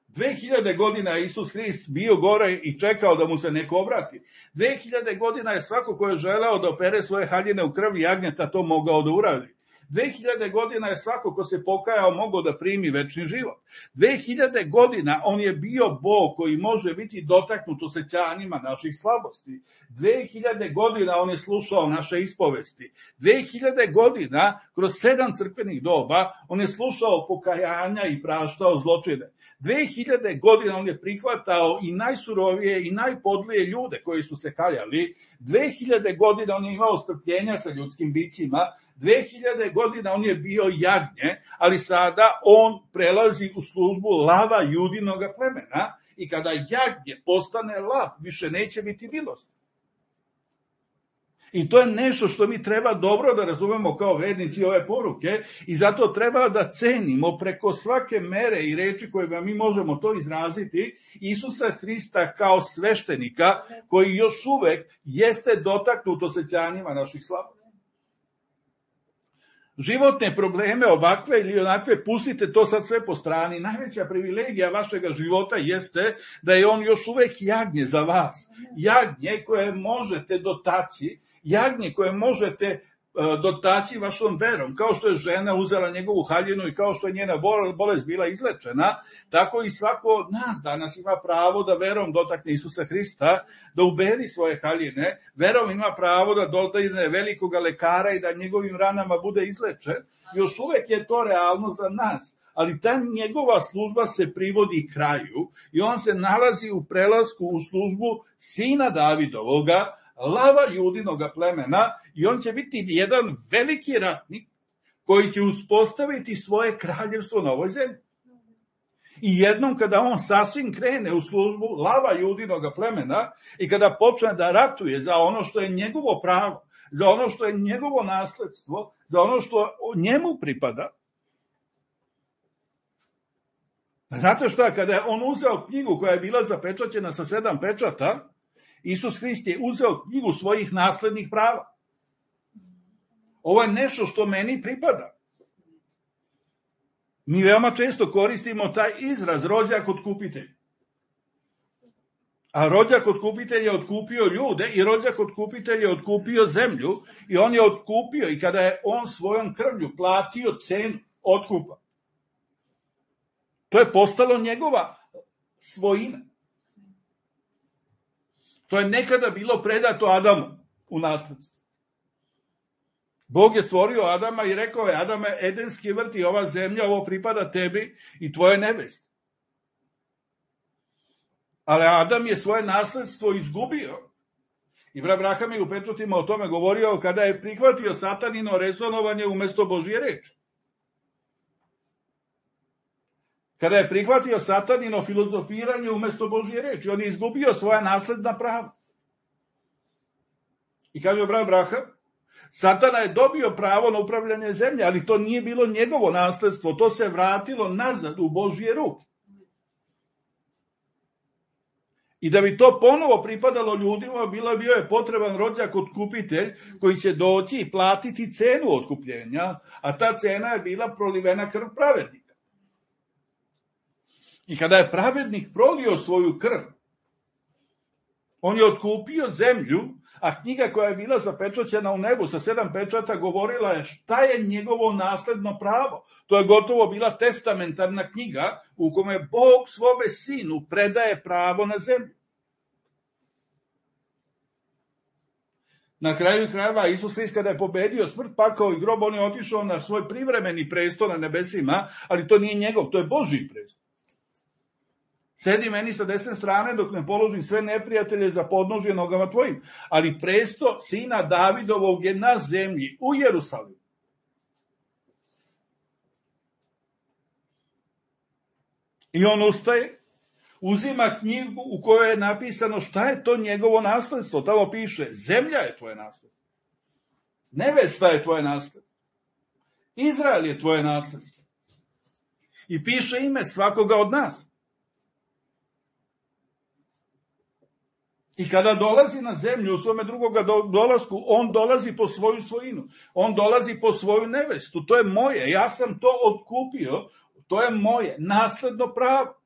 Dve hiljade godina je Isus Hrist bio gore i čekao da mu se neko obrati. Dve hiljade godina je svako ko je želeo da opere svoje haljine u krvi jagnjeta to mogao da uradi. Dve hiljade godina je svako ko se pokajao mogao da primi večni život. Dve hiljade godina on je bio Bog koji može biti dotaknut osećanjima naših slabosti. Dve hiljade godina on je slušao naše ispovesti. Dve hiljade godina kroz sedam crkvenih doba on je slušao pokajanja i praštao zločine. Dve hiljade godina on je prihvatao i najsurovije i najpodlije ljude koji su se kajali. Dve hiljade godina on je imao strpljenja sa ljudskim bićima. Dve hiljade godina on je bio jagnje, ali sada on prelazi u službu lava judinoga plemena i kada jagnje postane lav, više neće biti milost. I to je nešto što mi treba dobro da razumemo kao vernici ove poruke i zato treba da cenimo preko svake mere i reči koje mi možemo to izraziti Isusa Hrista kao sveštenika koji još uvek jeste dotaknut osećanjima naših slabosti. Životne probleme ovakve ili onakve, pustite to sad sve po strani. Najveća privilegija vašega života jeste da je on još uvek jagnje za vas. Jagnje koje možete dotaći, jagnje koje možete dotaći vašom verom. Kao što je žena uzela njegovu haljinu i kao što je njena bolest bila izlečena, tako i svako od nas danas ima pravo da verom dotakne Isusa Hrista, da uberi svoje haljine, verom ima pravo da dotakne velikoga lekara i da njegovim ranama bude izlečen. Još uvek je to realno za nas. Ali ta njegova služba se privodi kraju i on se nalazi u prelasku u službu sina Davidovoga, lava judinoga plemena, i on će biti jedan veliki ratnik koji će uspostaviti svoje kraljevstvo na ovoj zemlji. I jednom kada on sasvim krene u službu lava judinoga plemena i kada počne da ratuje za ono što je njegovo pravo, za ono što je njegovo nasledstvo, za ono što njemu pripada. Znate šta, kada je on uzeo knjigu koja je bila zapečaćena sa sedam pečata, Isus Hrist je uzeo knjigu svojih naslednih prava. Ovo je nešto što meni pripada. Mi veoma često koristimo taj izraz rođak otkupitelj. A rođak otkupitelj je otkupio ljude i rođak otkupitelj je otkupio zemlju i on je otkupio i kada je on svojom krvlju platio cenu otkupa. To je postalo njegova svojina. To je nekada bilo predato Adamu u nasledstvo. Bog je stvorio Adama i rekao je, Adame, edenski vrt i ova zemlja, ovo pripada tebi i tvoje nevesti. Ali Adam je svoje nasledstvo izgubio. I brat Braham je u pečatima o tome govorio kada je prihvatio satanino rezonovanje umesto Božje reči. Kada je prihvatio satanino filozofiranje umesto Božje reči, on je izgubio svoja nasledna prava. I kaže brat Braham, Satana je dobio pravo na upravljanje zemlje, ali to nije bilo njegovo nasledstvo, to se vratilo nazad u Božje ruke. I da bi to ponovo pripadalo ljudima, bilo bio je potreban rođak otkupitelj koji će doći i platiti cenu otkupljenja, a ta cena je bila prolivena krv pravednika. I kada je pravednik prolio svoju krv, on je otkupio zemlju, a knjiga koja je bila zapečaćena u nebu sa sedam pečata govorila je šta je njegovo nasledno pravo. To je gotovo bila testamentarna knjiga u kome Bog svome sinu predaje pravo na zemlju. Na kraju krajeva Isus Hrist kada je pobedio smrt, pakao i grob, on je otišao na svoj privremeni presto na nebesima, ali to nije njegov, to je Božji presto. Sedi meni sa desne strane dok ne položim sve neprijatelje za podnožje nogama tvojim. Ali presto sina Davidovog je na zemlji, u Jerusalimu. I on ustaje, uzima knjigu u kojoj je napisano šta je to njegovo nasledstvo. Tamo piše, zemlja je tvoje nasledstvo. Nevesta je tvoje nasledstvo. Izrael je tvoje nasledstvo. I piše ime svakoga od nas. I kada dolazi na zemlju u svome drugoga dolasku, on dolazi po svoju svojinu. On dolazi po svoju nevestu. To je moje. Ja sam to otkupio. To je moje nasledno pravo.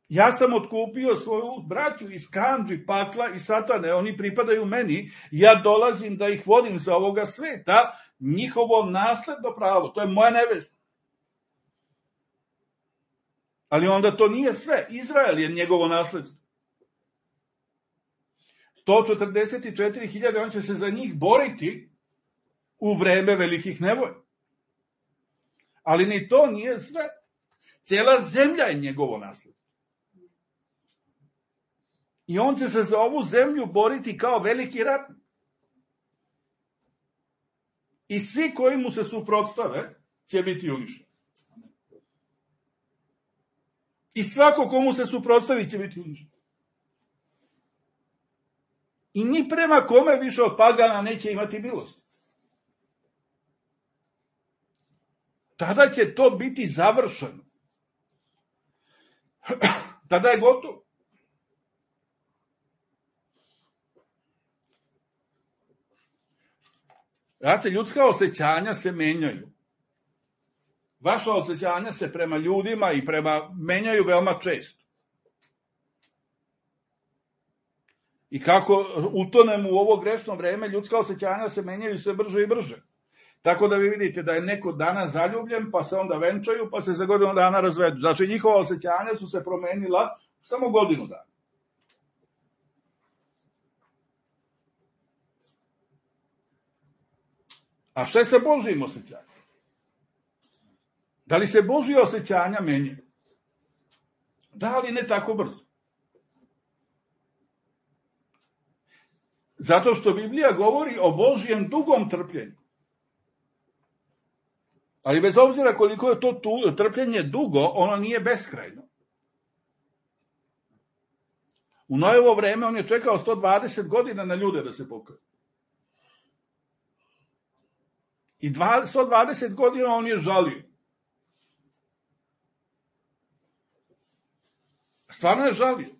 Ja sam otkupio svoju braću iz kandži, pakla i satane. Oni pripadaju meni. Ja dolazim da ih vodim za ovoga sveta. Njihovo nasledno pravo. To je moja nevesta. Ali onda to nije sve. Izrael je njegovo nasledstvo. sto četrdeset četiri hiljade, on će se za njih boriti u vreme velikih nevolja. Ali ni to nije sve. Cijela zemlja je njegovo nasledstvo. I on će se za ovu zemlju boriti kao veliki ratnik. I svi koji mu se suprotstave će biti uništeni. I svako komu se suprotstavi će biti uništen. I ni prema kome više od pagana neće imati milosti. Tada će to biti završeno. Tada je gotovo. Znate, ljudska osjećanja se menjaju. Vaša osjećanja se prema ljudima i prema menjaju veoma često. I kako utonemo u ovo grešno vreme, ljudska osjećanja se menjaju sve brže i brže. Tako da vi vidite da je neko danas zaljubljen, pa se onda venčaju, pa se za godinu dana razvedu. Znači, njihova osjećanja su se promenila samo godinu dana. A šta je sa Božjim osjećanjem? Da li se Božje osjećanja menjaju? Da, ali ne tako brzo. Zato što Biblija govori o Božjem dugom trpljenju. Ali bez obzira koliko je to tu, trpljenje dugo, ono nije beskrajno. U Nojevo vreme on je čekao sto dvadeset godina na ljude da se pokaju. I sto dvadeset godina on je žalio. Stvarno je žalio.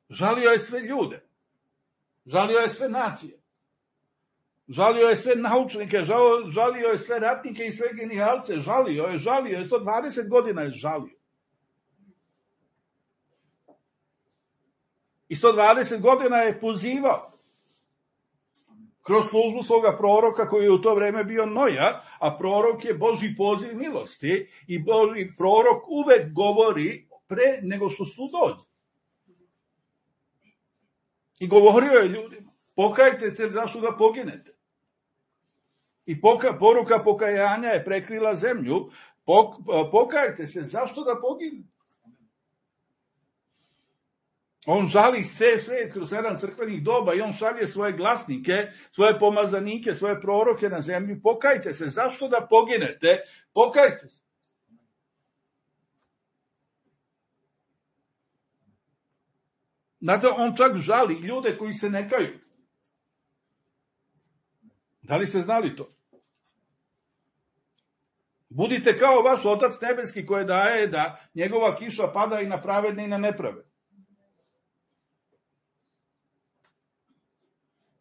Žalio je sve ljude. Žalio je sve nacije. Žalio je sve naučnike, žalio je sve ratnike i sve genijalce. Žalio je, žalio je, sto dvadeset godina je žalio. I sto dvadeset godina je pozivao kroz službu svoga proroka koji je u to vreme bio Noja, a prorok je Božji poziv milosti i Božji prorok uvek govori pre nego što sud dođe. I govorio je ljudima, pokajte se zašto da poginete. I poka, poruka pokajanja je prekrila zemlju, pok, pokajte se zašto da poginete. On žali sve svet kroz sedam crkvenih doba i on šalje svoje glasnike, svoje pomazanike, svoje proroke na zemlju. Pokajte se, zašto da poginete? Pokajte se. Znate, on čak žali ljude koji se ne kaju. Da li ste znali to? Budite kao vaš Otac nebeski koji daje da njegova kiša pada i na pravedne i na nepravedne.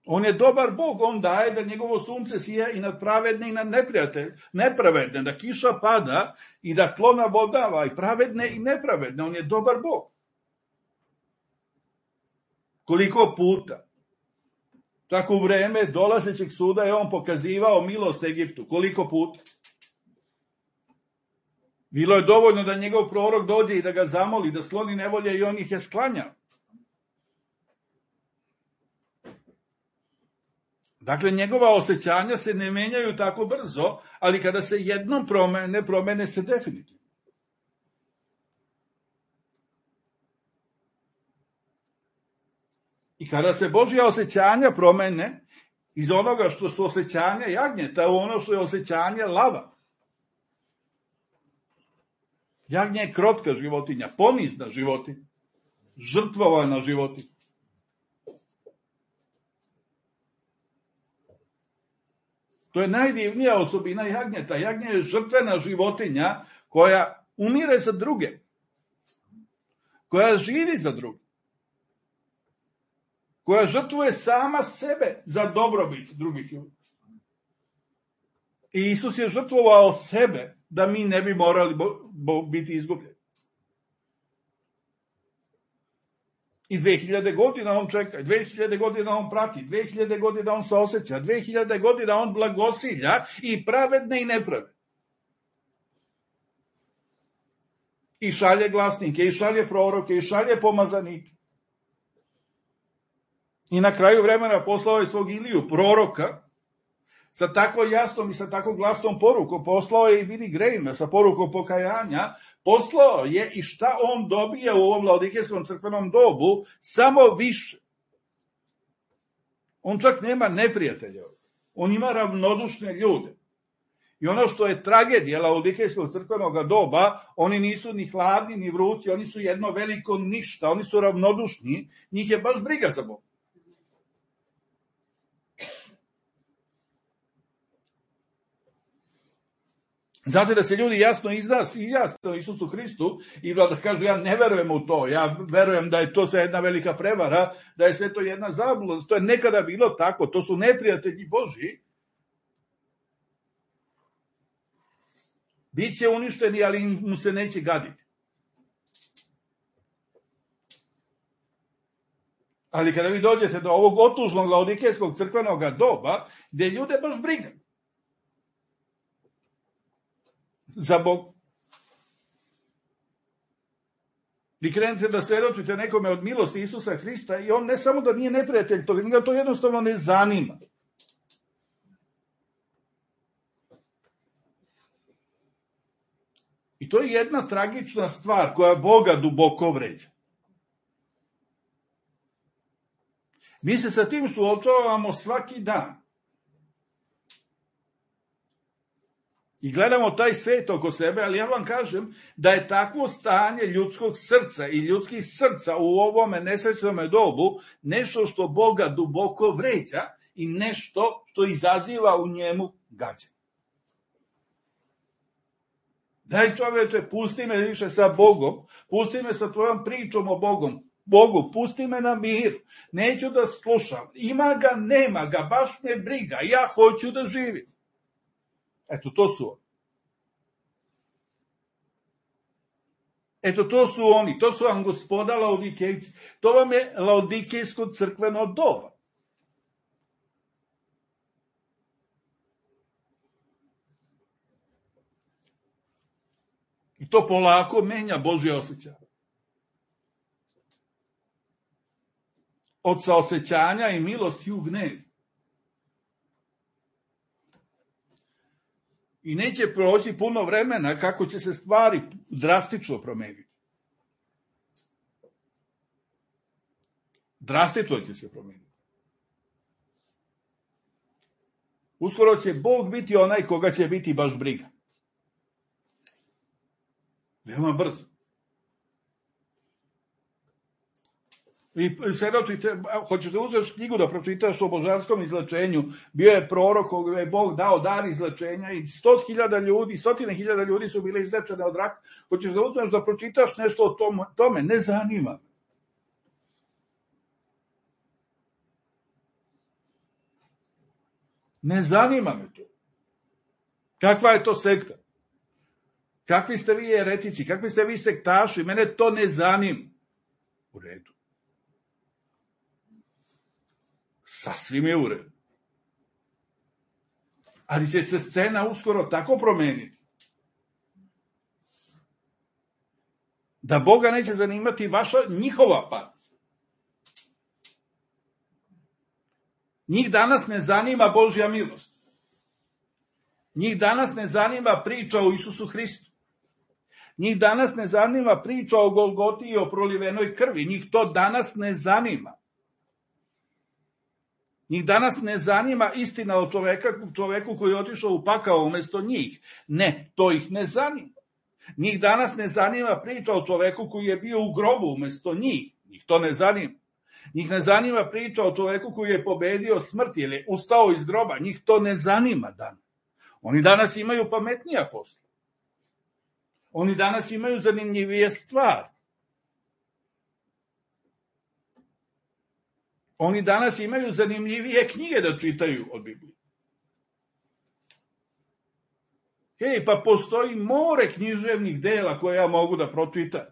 On je dobar Bog, on daje da njegovo sunce sija i nad pravedne i nad nepravedne, da kiša pada i da tlo nabodava i pravedne i nepravedne. On je dobar Bog. Koliko puta? Tako u vreme dolazećeg suda je on pokazivao milost Egiptu. Koliko puta? Bilo je dovoljno da njegov prorok dođe i da ga zamoli, da skloni nevolje i on ih je sklanjao. Dakle, njegova osjećanja se ne menjaju tako brzo, ali kada se jednom promene, promene se definitivno. I kada se Božja osjećanja promene iz onoga što su osjećanja jagnjeta u ono što je osjećanje lava. Jagnje je krotka životinja, ponizna životinja, žrtvovana životinja. To je najdivnija osobina jagnjeta. Jagnje je žrtvena životinja koja umire za druge. Koja živi za druge. Koja žrtvuje sama sebe za dobrobit drugih ljudi. I Isus je žrtvovao sebe da mi ne bi morali bo, bo, biti izgubljeni. I dve hiljade godina on čeka, dve hiljade godina on prati, dve hiljade godina on se osjeća, dve hiljade godina on blagosilja i pravedne i nepravedne. I šalje glasnike, i šalje proroke, i šalje pomazanike. I na kraju vremena poslao je svog Iliju, proroka, sa tako jasnom i sa tako glasnom porukom. Poslao je i Billy Grahama sa porukom pokajanja. Poslao je i šta on dobija u ovom laodikejskom crkvenom dobu, samo više. On čak nema neprijatelja. On ima ravnodušne ljude. I ono što je tragedija laodikejskog crkvenog doba, oni nisu ni hladni, ni vrući, oni su jedno veliko ništa, oni su ravnodušni, njih je baš briga za Bog. Znate da se ljudi jasno izjasne Isusu Hristu i da kažu ja ne verujem u to, ja verujem da je to sve jedna velika prevara, da je sve to jedna zabluda, to je nekada bilo tako, to su neprijatelji Božji. Biće uništeni, ali mu se neće gaditi. Ali kada vi dođete do ovog otužnog laodikejskog crkvenog doba, gde ljude baš briga za Bog. Vi krenete da svedočite nekome od milosti Isusa Hrista i on ne samo da nije neprijatelj toga, njega to jednostavno ne zanima. I to je jedna tragična stvar koja Boga duboko vređa. Mi se sa tim suočavamo svaki dan. I gledamo taj svet oko sebe, ali ja vam kažem da je takvo stanje ljudskog srca i ljudskih srca u ovome nesrećnome dobu nešto što Boga duboko vređa i nešto što izaziva u njemu gađenje. Daj čoveče, pusti me više sa Bogom, pusti me sa tvojom pričom o Bogom, Bogu, pusti me na miru, neću da slušam, ima ga, nema ga, baš me briga, ja hoću da živim. Eto, to su oni. Eto, to su oni, to su vam gospoda Laodikejci, to vam je Laodikejsko crkveno doba. I to polako menja Božje osjećanje. Od saosećanja i milosti u gnev. I neće proći puno vremena kako će se stvari drastično promeniti. Drastično će se promeniti. Uskoro će Bog biti onaj koga će biti baš briga. Veoma brzo. Vi svedočite, hoćete uzeti knjigu da pročitaš o božanskom izlečenju, bio je prorok koga je Bog dao dar izlečenja i sto hiljada ljudi, stotine hiljada ljudi su bile izlečene od raka. Hoćeš da uzmeš da pročitaš nešto o tome, ne zanima. Ne zanima me to. Kakva je to sekta? Kakvi ste vi eretici, kakvi ste vi sektaši, mene to ne zanima. U redu. Sasvim je u redu. Ali će se scena uskoro tako promeniti da Boga neće zanimati vaša, njihova pat. Njih danas ne zanima Božja milost. Njih danas ne zanima priča o Isusu Hristu. Njih danas ne zanima priča o Golgoti i o prolivenoj krvi. Njih to danas ne zanima. Njih danas ne zanima istina o čoveka, čoveku koji je otišao u pakao umjesto njih. Ne, to ih ne zanima. Njih danas ne zanima priča o čoveku koji je bio u grobu umjesto njih. Njih to ne zanima. Njih ne zanima priča o čoveku koji je pobedio smrt ili je ustao iz groba. Njih to ne zanima danas. Oni danas imaju pametnija posla. Oni danas imaju zanimljivije stvari. Oni danas imaju zanimljivije knjige da čitaju od Biblije. Hej, pa postoji more književnih dela koje ja mogu da pročitam.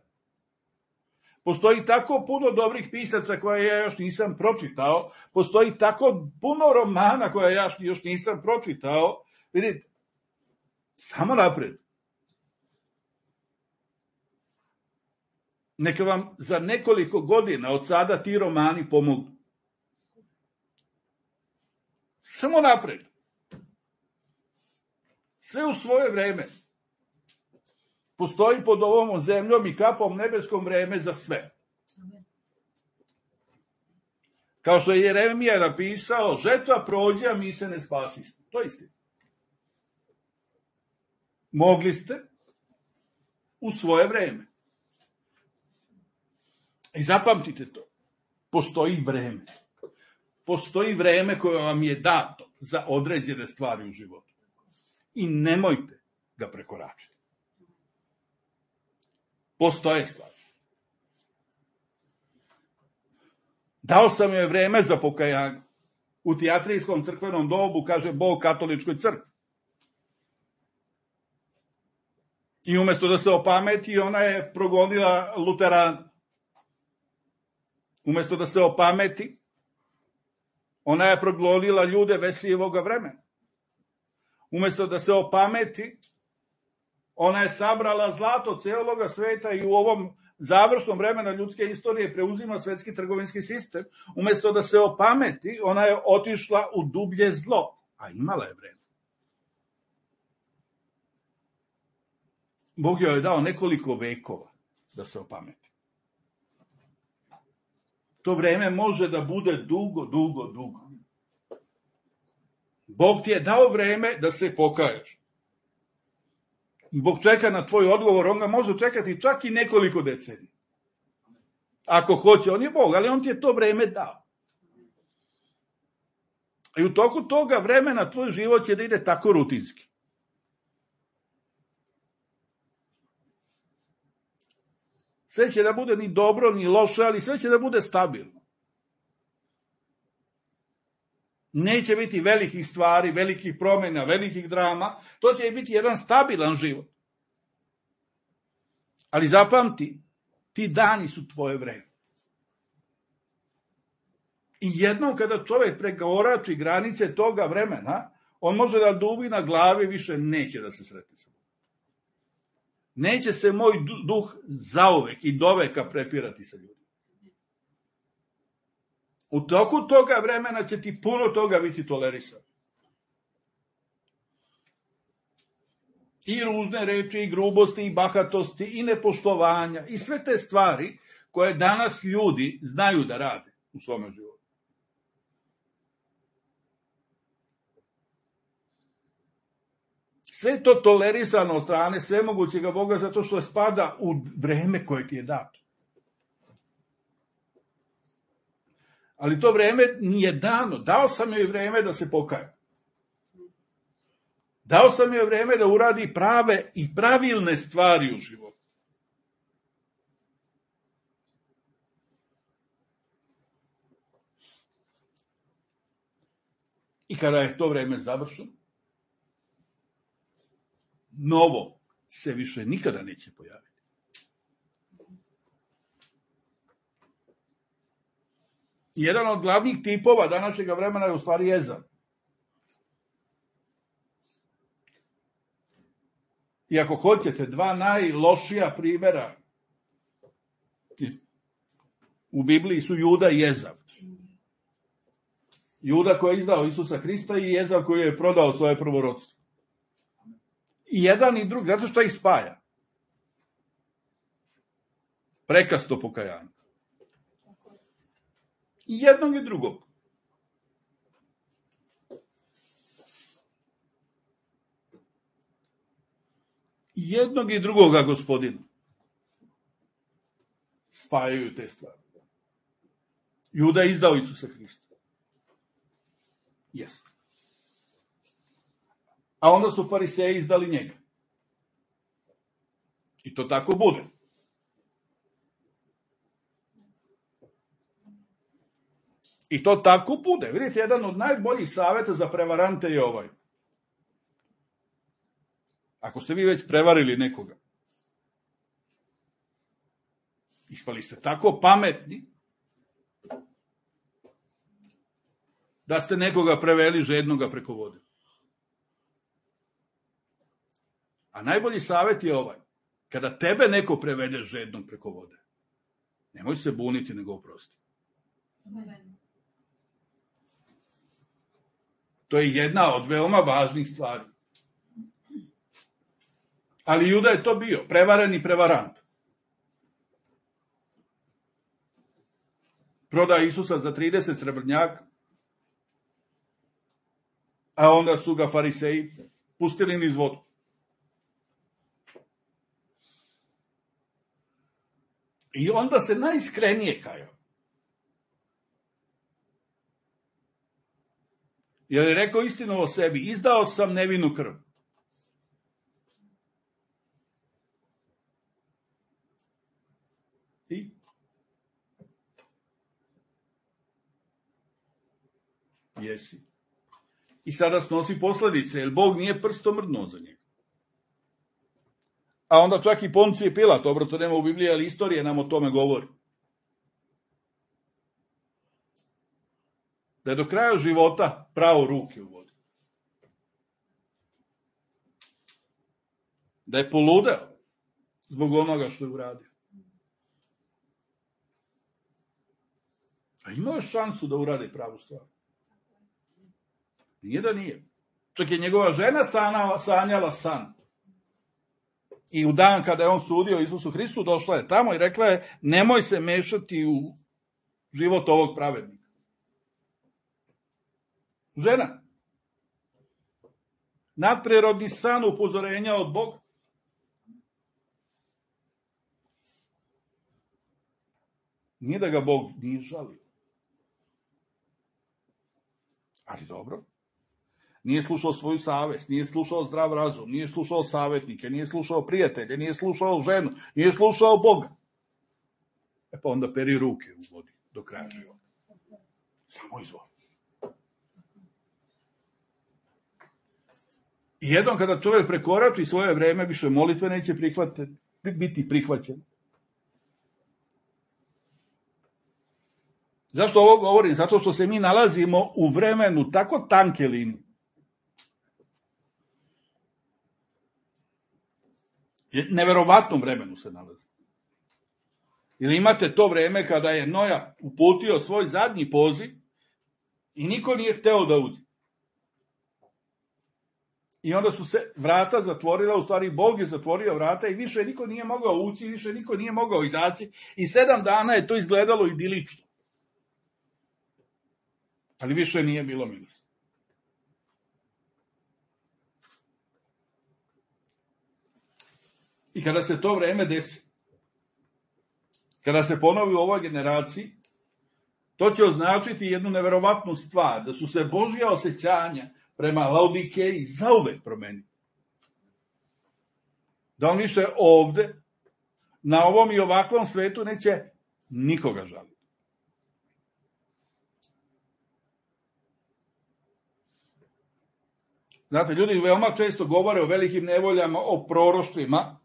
Postoji tako puno dobrih pisaca koje ja još nisam pročitao. Postoji tako puno romana koje ja još nisam pročitao. Vidite, samo napred. Neka vam za nekoliko godina od sada ti romani pomognu. Samo napred. Sve u svoje vreme. Postoji pod ovom zemljom i kapom nebeskom vreme za sve. Kao što je Jeremija napisao, žetva prođe, a mi se ne spasimo. To je istina. Mogli ste u svoje vreme. I zapamtite to. Postoji vreme. Postoji vreme koje vam je dato za određene stvari u životu. I nemojte ga prekoračiti. Postoje stvari. Dao sam joj vreme za pokajanje. U Tijatrijskom crkvenom dobu kaže Bog katoličkoj crkvi. I umjesto da se opameti, ona je progonila Luterana. Umjesto da se opameti, ona je progonila ljude Veslijevoga vremena. Umjesto da se opameti, ona je sabrala zlato cijeloga sveta i u ovom završnom vremena ljudske istorije preuzima svetski trgovinski sistem. Umjesto da se opameti, ona je otišla u dublje zlo, a imala je vreme. Bog joj je dao nekoliko vekova da se opameti. To vreme može da bude dugo, dugo, dugo. Bog ti je dao vreme da se pokaješ. Bog čeka na tvoj odgovor, on ga može čekati čak i nekoliko decenija. Ako hoće, on je Bog, ali on ti je to vreme dao. I u toku toga vremena tvoj život će da ide tako rutinski. Sve će da bude ni dobro, ni loše, ali sve će da bude stabilno. Neće biti velikih stvari, velikih promjena, velikih drama. To će biti jedan stabilan život. Ali zapamti, ti dani su tvoje vreme. I jednom kada čovjek prekorači granice toga vremena, on može da duvi na glavi, više neće da se sretne sa Bogom. Neće se moj duh zauvek i doveka prepirati sa ljudima. U toku toga vremena će ti puno toga biti tolerisano. I ružne reči, i grubosti, i bahatosti, i nepoštovanja, i sve te stvari koje danas ljudi znaju da rade u svome životu. Sve to tolerisano od strane svemogućega Boga zato što spada u vreme koje ti je dato. Ali to vreme nije dano. Dao sam joj vreme da se pokaje. Dao sam joj vreme da uradi prave i pravilne stvari u životu. I kada je to vreme završeno, novo se više nikada neće pojaviti. Jedan od glavnih tipova današnjeg vremena je u stvari jezan. I ako hoćete, dva najlošija primjera u Bibliji su Juda i Ezav. Juda koji je izdao Isusa Hrista i Ezav koji je prodao svoje prvorodstvo. I jedan i drugi, zato što ih spaja. Prekasno pokajanje. I jednog i drugog. I jednog i drugoga Gospodina spajaju te stvari. Juda je izdao Isusa Hrista. Jeste. A onda su fariseji izdali njega. I to tako bude. I to tako bude. Vidite, jedan od najboljih savjeta za prevarante je ovaj. Ako ste vi već prevarili nekoga, ispali ste tako pametni, da ste nekoga preveli žednoga preko vode. A najbolji savjet je ovaj. Kada tebe neko prevede žednog preko vode, nemoj se buniti, nego oprosti. To je jedna od veoma važnih stvari. Ali Juda je to bio, prevaren i prevarant. Proda Isusa za trideset srebrnjaka, a onda su ga fariseji pustili niz vodu. I onda se najiskrenije kajao. Jer je rekao istinu o sebi, izdao sam nevinu krv. I? Jesi. I sada snosi posljedice, jer Bog nije prstom mrdnuo za njega. A onda čak i Poncije Pilat, dobro, to nema u Bibliji, ali istorija nam o tome govori. Da je do kraja života pravo ruke u vodi. Da je poludeo zbog onoga što je uradio. A imao je šansu da uradi pravu stvar. Nije da nije. Čak je njegova žena sanjala, sanjala san. I u dan kada je on sudio Isusu Hristu, došla je tamo i rekla je, nemoj se mešati u život ovog pravednika. Žena. Nadprirodni san upozorenja od Boga. Nije da ga Bog nije žalio. Ali dobro. Nije slušao svoju savest, nije slušao zdrav razum, nije slušao savjetnike, nije slušao prijatelje, nije slušao ženu, nije slušao Boga. E pa onda peri ruke u vodi do kraja života. Samo izvoli. I jednom kada čovjek prekorači svoje vreme, više molitve neće prihvatiti, biti prihvaćen. Zašto ovo govorim? Zato što se mi nalazimo u vremenu tako tanke linije. Neverovatnom vremenu se nalazi. Ili imate to vreme kada je Noja uputio svoj zadnji poziv i niko nije hteo da uđe. I onda su se vrata zatvorila, u stvari Bog je zatvorio vrata i više niko nije mogao ući, više niko nije mogao izaći i sedam dana je to izgledalo idilično. Ali više nije bilo milosti. I kada se to vreme desi, kada se ponovi u ovoj generaciji, to će označiti jednu neverovatnu stvar, da su se Božja osjećanja prema Laodikeji zauvek promenili. Da on više ovde, na ovom i ovakvom svetu, neće nikoga žaliti. Znate, ljudi veoma često govore o velikim nevoljama, o proroštvima,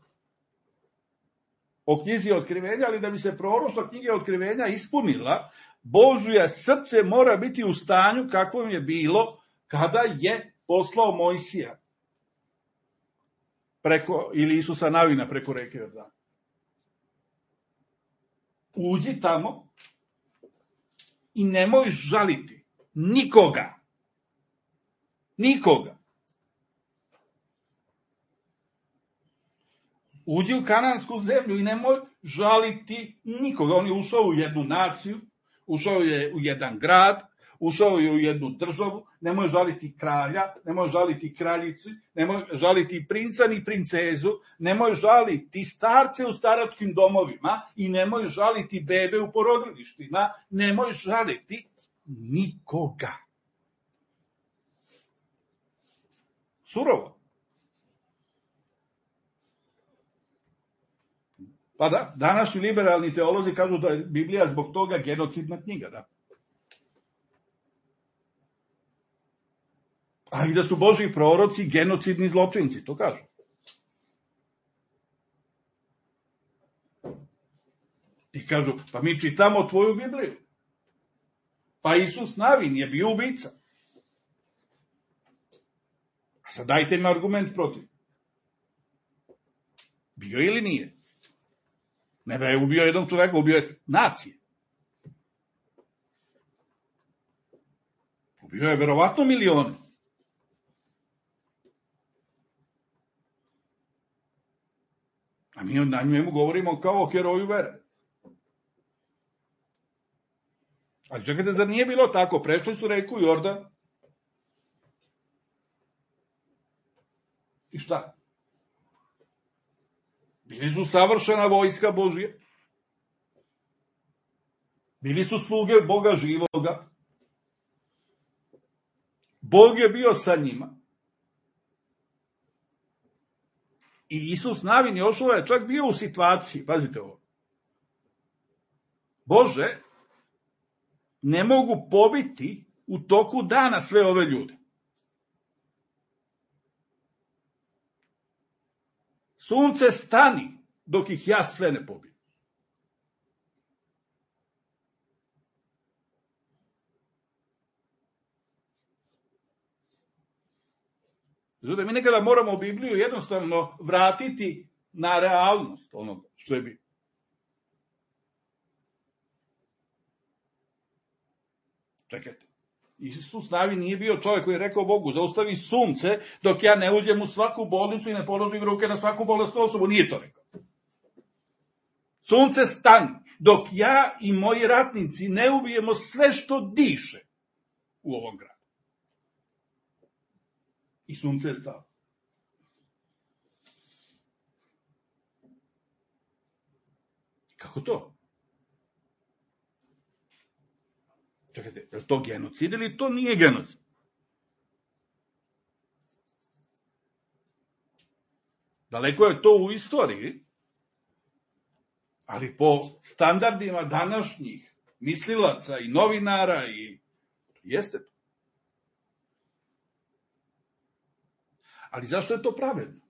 o knjizi Otkrivenja, ali da bi se proroštva knjige Otkrivenja ispunila, Božje srce mora biti u stanju kakvom je bilo kada je poslao Mojsija preko, ili Isusa Navina preko reke Jordan. Uđi tamo i nemoj žaliti nikoga. Nikoga. Uđi u kanansku zemlju i nemoj žaliti nikoga. On je ušao u jednu naciju, ušao je u jedan grad, ušao je u jednu državu, nemoj žaliti kralja, nemoj žaliti kraljicu, nemoj žaliti princa ni princezu, nemoj žaliti starce u staračkim domovima i nemoj žaliti bebe u porodilištima, nemoj žaliti nikoga. Surovo. Pa da, današnji liberalni teolozi kažu da je Biblija zbog toga genocidna knjiga, da. A i da su Božji proroci genocidni zločinci, to kažu. I kažu, pa mi čitamo tvoju Bibliju. Pa Isus Navin je bio ubica. A sad dajte mi argument protiv. Bio ili nije? Ne da je ubio jednog čoveka, ubio je nacije. Ubio je verovatno milione. A mi na njemu govorimo kao o heroju vere. Ali čekajte, zar nije bilo tako? Prešli su reku Jordan. I šta? Bili su savršena vojska Božja. Bili su sluge Boga živoga. Bog je bio sa njima. I Isus Navin Jošua je čak bio u situaciji, pazite ovo. Bože, ne mogu pobiti u toku dana sve ove ljude. Sunce stani dok ih ja sve ne pobijem. Zato mi nekada moramo Bibliju jednostavno vratiti na realnost onoga što je bilo. Čekajte. Isus Navin nije bio čovjek koji je rekao Bogu, zaustavi sunce dok ja ne uđem u svaku bolnicu i ne položim ruke na svaku bolesnu osobu. Nije to rekao. Sunce stani dok ja i moji ratnici ne ubijemo sve što diše u ovom gradu. I sunce je stalo. Kako to? Čekajte, je li to genocid ili to nije genocid? Daleko je to u istoriji, ali po standardima današnjih mislilaca i novinara i jeste to. Ali zašto je to pravedno?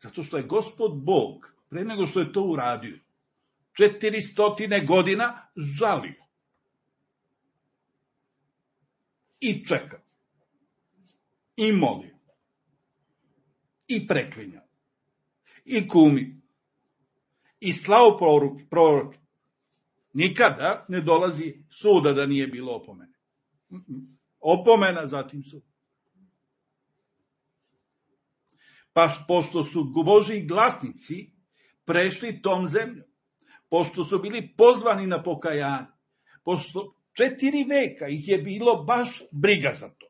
Zato što je Gospod Bog, pre nego što je to uradio, četiristotine godina žalio. I čekao. I molio. I preklinjao. I kumio. I slao proroke. Nikada ne dolazi suda da nije bilo opomene. Opomena, zatim sud. Pa pošto su Božji glasnici prešli tom zemljom, pošto su bili pozvani na pokajanje, pošto četiri veka ih je bilo baš briga za to.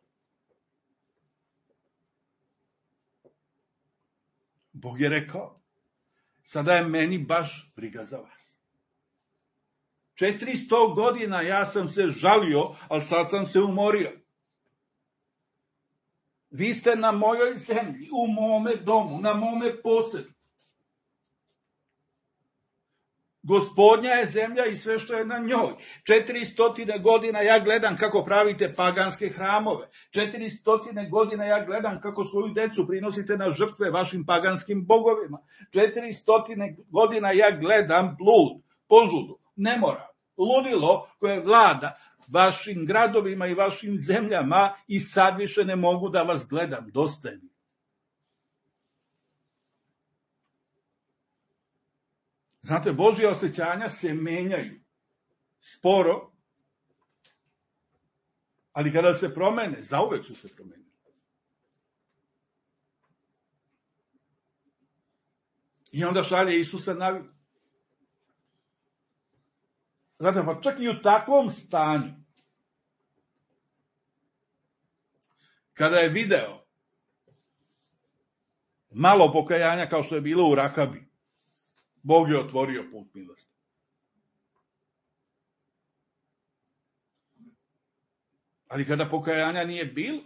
Bog je rekao, sada je meni baš briga za vas. Četiristo godina ja sam se žalio, ali sad sam se umorio. Vi ste na mojoj zemlji, u mome domu, na mome posedu. Gospodnja je zemlja i sve što je na njoj. Četiristotine godina ja gledam kako pravite paganske hramove. Četiristotine godina ja gledam kako svoju decu prinosite na žrtve vašim paganskim bogovima. Četiristotine godina ja gledam blud, požudu, nemoral, ludilo koje vlada vašim gradovima i vašim zemljama i sad više ne mogu da vas gledam. Dosta je. Znate, Božja osjećanja se menjaju sporo, ali kada se promene, zauvek su se promenili. I onda šalje Isusa na vid. Znate, pa čak i u takvom stanju, kada je video malo pokajanja kao što je bilo u Rahabi, Bog je otvorio put milosti. Ali kada pokajanja nije bilo,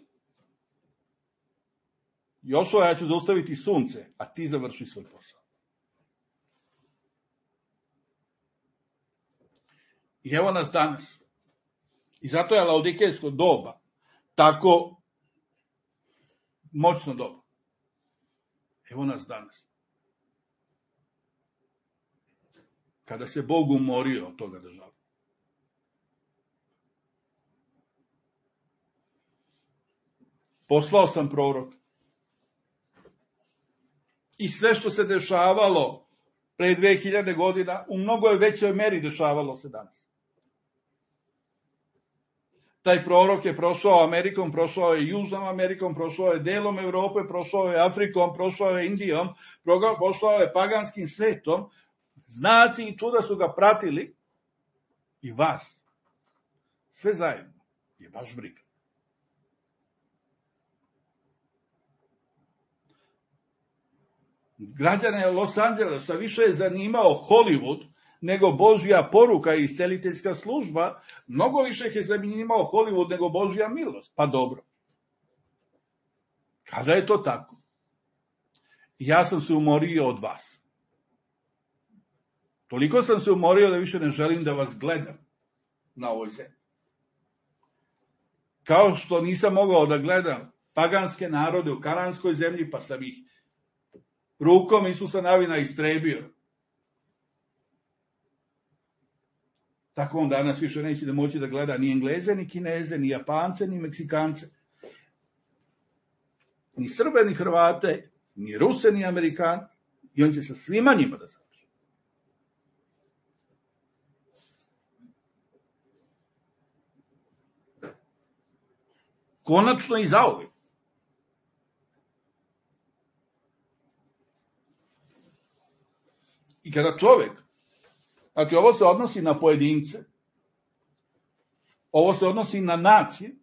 Jošua, ja ću zaustaviti sunce, a ti završi svoj posao. I evo nas danas. I zato je laodikejsko doba tako moćno doba. Evo nas danas. Kada se Bog umorio od toga da žali. Poslao sam prorok. I sve što se dešavalo pre dve hiljade godina, u mnogo je većoj meri dešavalo se danas. Taj prorok je prošao Amerikom, prošao je Južnom Amerikom, prošao je delom Evrope, prošao je Afrikom, prošao je Indijom, prošao je paganskim svetom. Znaci i čuda su ga pratili i vas. Sve zajedno je baš briga. Građane Los Angelesa više je zanimao Hollywood nego Božja poruka i isceliteljska služba, mnogo više je zanimao Hollywood nego Božja milost. Pa dobro. Kada je to tako? Ja sam se umorio od vas. Toliko sam se umorio da više ne želim da vas gledam na ovoj zemlji. Kao što nisam mogao da gledam paganske narode u kananskoj zemlji, pa sam ih rukom Isusa Navina istrebio. Tako on danas više neće da moći da gleda ni Engleze, ni Kineze, ni Japance, ni Meksikance, ni Srbe, ni Hrvate, ni Ruse, ni Amerikance. I on će sa svima njima da završi. Konačno i zauvek. I kada čovek, znači ovo se odnosi na pojedince, ovo se odnosi na nacije,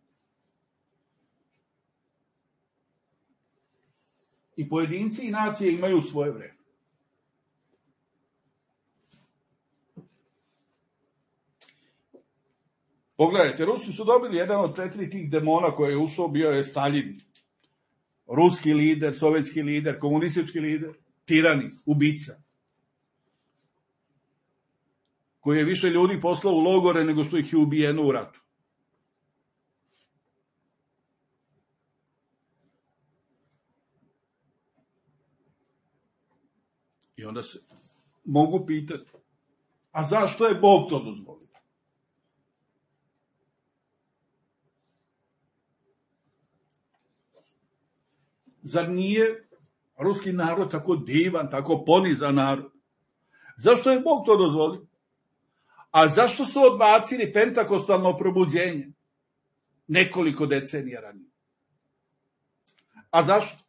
i pojedinci i nacije imaju svoje vreme. Pogledajte, Rusi su dobili jedan od četiri tih demona koje je ušao, bio je Staljin. Ruski lider, sovjetski lider, komunistički lider, tirani, ubica. Koji je više ljudi poslao u logore nego što ih je ubijeno u ratu. I onda se mogu pitati, a zašto je Bog to dozvolio? Zar nije ruski narod tako divan, tako ponizan narod? Zašto je Bog to dozvolio? A zašto su odbacili pentakostalno probuđenje nekoliko decenija ranije? A zašto?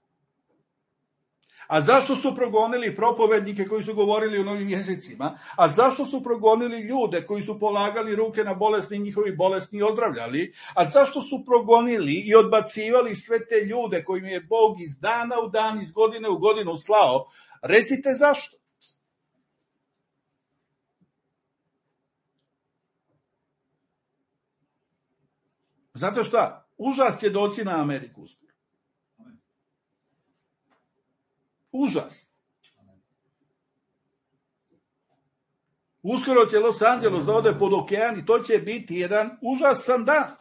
A zašto su progonili propovednike koji su govorili u novim jezicima? A zašto su progonili ljude koji su polagali ruke na bolesni, njihovi bolesni ozdravljali? A zašto su progonili i odbacivali sve te ljude kojim je Bog iz dana u dan, iz godine u godinu slao? Recite zašto? Zato šta? Užas će doći na Ameriku uskoro. Užas. Uskoro će Los Angeles da ode pod okean i to će biti jedan užasan dan.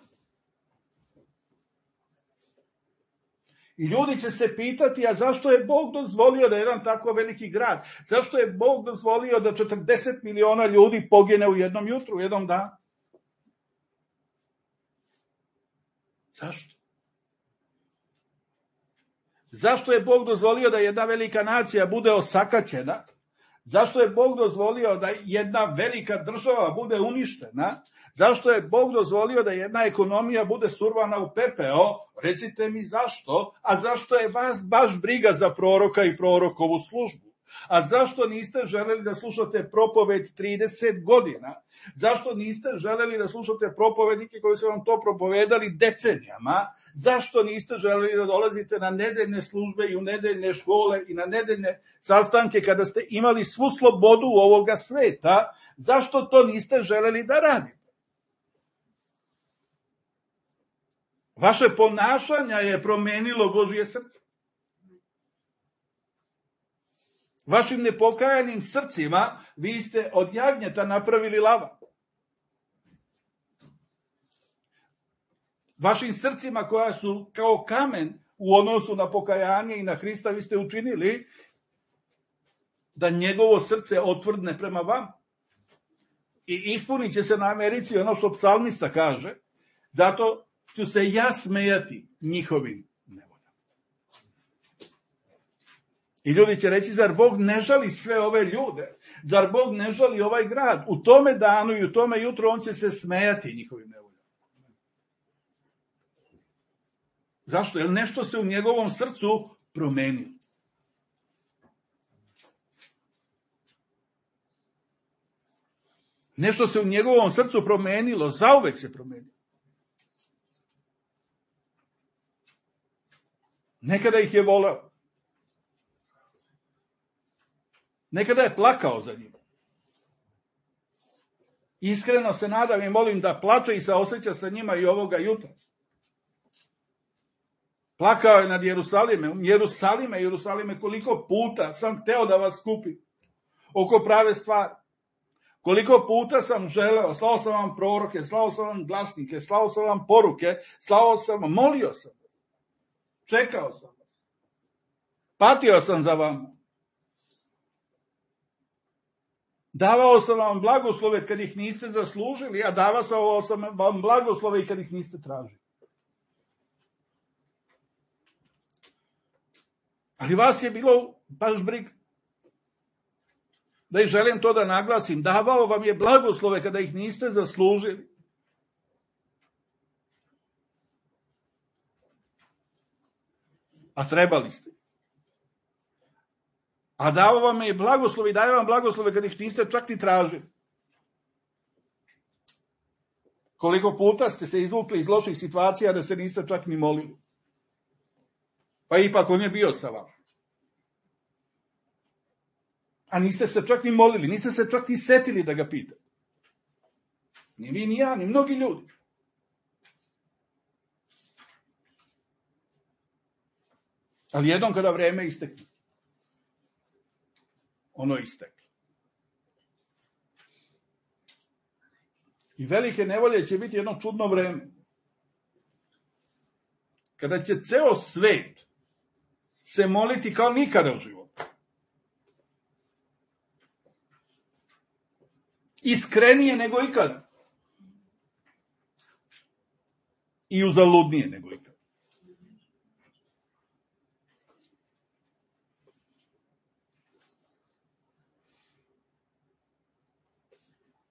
I ljudi će se pitati, a zašto je Bog dozvolio da jedan tako veliki grad? Zašto je Bog dozvolio da četrdeset miliona ljudi pogine u jednom jutru, u jednom danu? Zašto? Zašto je Bog dozvolio da jedna velika nacija bude osakaćena? Zašto je Bog dozvolio da jedna velika država bude uništena? Zašto je Bog dozvolio da jedna ekonomija bude survana u pepeo? Recite mi zašto? A zašto je vas baš briga za proroka i prorokovu službu? A zašto niste želeli da slušate propoved trideset godina? Zašto niste želeli da slušate propovednike koji su vam to propovedali decenijama? Zašto niste želeli da dolazite na nedeljne službe i u nedeljne škole i na nedeljne sastanke kada ste imali svu slobodu ovoga sveta? Zašto to niste želeli da radite? Vaše ponašanje je promenilo Božje srce. Vašim nepokajanim srcima vi ste od jagnjeta napravili lava. Vašim srcima koja su kao kamen u odnosu na pokajanje i na Hrista vi ste učinili da njegovo srce otvrdne prema vam. I ispunit će se na Americi ono što psalmista kaže, zato ću se ja smejati njihovim nevoljama. I ljudi će reći, zar Bog ne žali sve ove ljude? Zar Bog ne žali ovaj grad? U tome danu i u tome jutro on će se smejati njihovim nevoljama. Zašto? Jer nešto se u njegovom srcu promenilo. Nešto se u njegovom srcu promenilo, zauvek se promenilo. Nekada ih je voleo. Nekada je plakao za njima. Iskreno se nadam i molim da plače i saoseća sa njima i ovoga jutra. Plakao je nad Jerusalimom. Jerusalime, Jerusalime, koliko puta sam hteo da vas skupim oko prave stvari. Koliko puta sam želeo, slao sam vam proroke, slao sam vam glasnike, slao sam vam poruke, slao sam vam, molio sam. Čekao sam. Patio sam za vama. Davao sam vam blagoslove kad ih niste zaslužili, a davao sam vam blagoslove i kad ih niste tražili. Ali vas je bilo baš briga. Da i želim to da naglasim. Davao vam je blagoslove kada ih niste zaslužili. A trebali ste. A dao vam je blagoslove i daje vam blagoslove kada ih niste čak ni tražili. Koliko puta ste se izvukli iz loših situacija da se niste čak ni molili. Pa ipak on je bio sa vama. A niste se čak ni molili, niste se čak ni setili da ga pitate. Ni vi, ni ja, ni mnogi ljudi. Ali jednom kada vreme istekne, ono je isteklo. I velike nevolje će biti jedno čudno vreme. Kada će ceo svet se moliti kao nikada u životu. Iskrenije nego ikada. I uzaludnije nego ikada.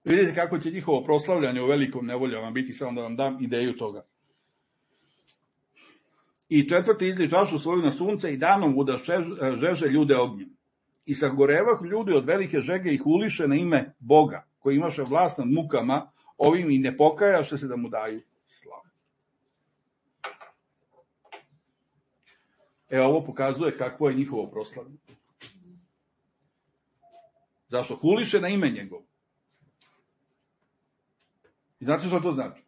Vidite kako će njihovo proslavljanje u velikom nevoljama biti, samo da vam dam ideju toga. I četvrti izli čašu svoju na sunce i danom uda žeže ljude ognjem. I sagorevah ljudi od velike žege ih uliše na ime Boga, koji imaše vlast nad mukama, ovim i ne pokajaše se da mu daju slavu. E, ovo pokazuje kakvo je njihovo proslavljanje. Zašto? Huliše na ime njegovo. I znate što to znači?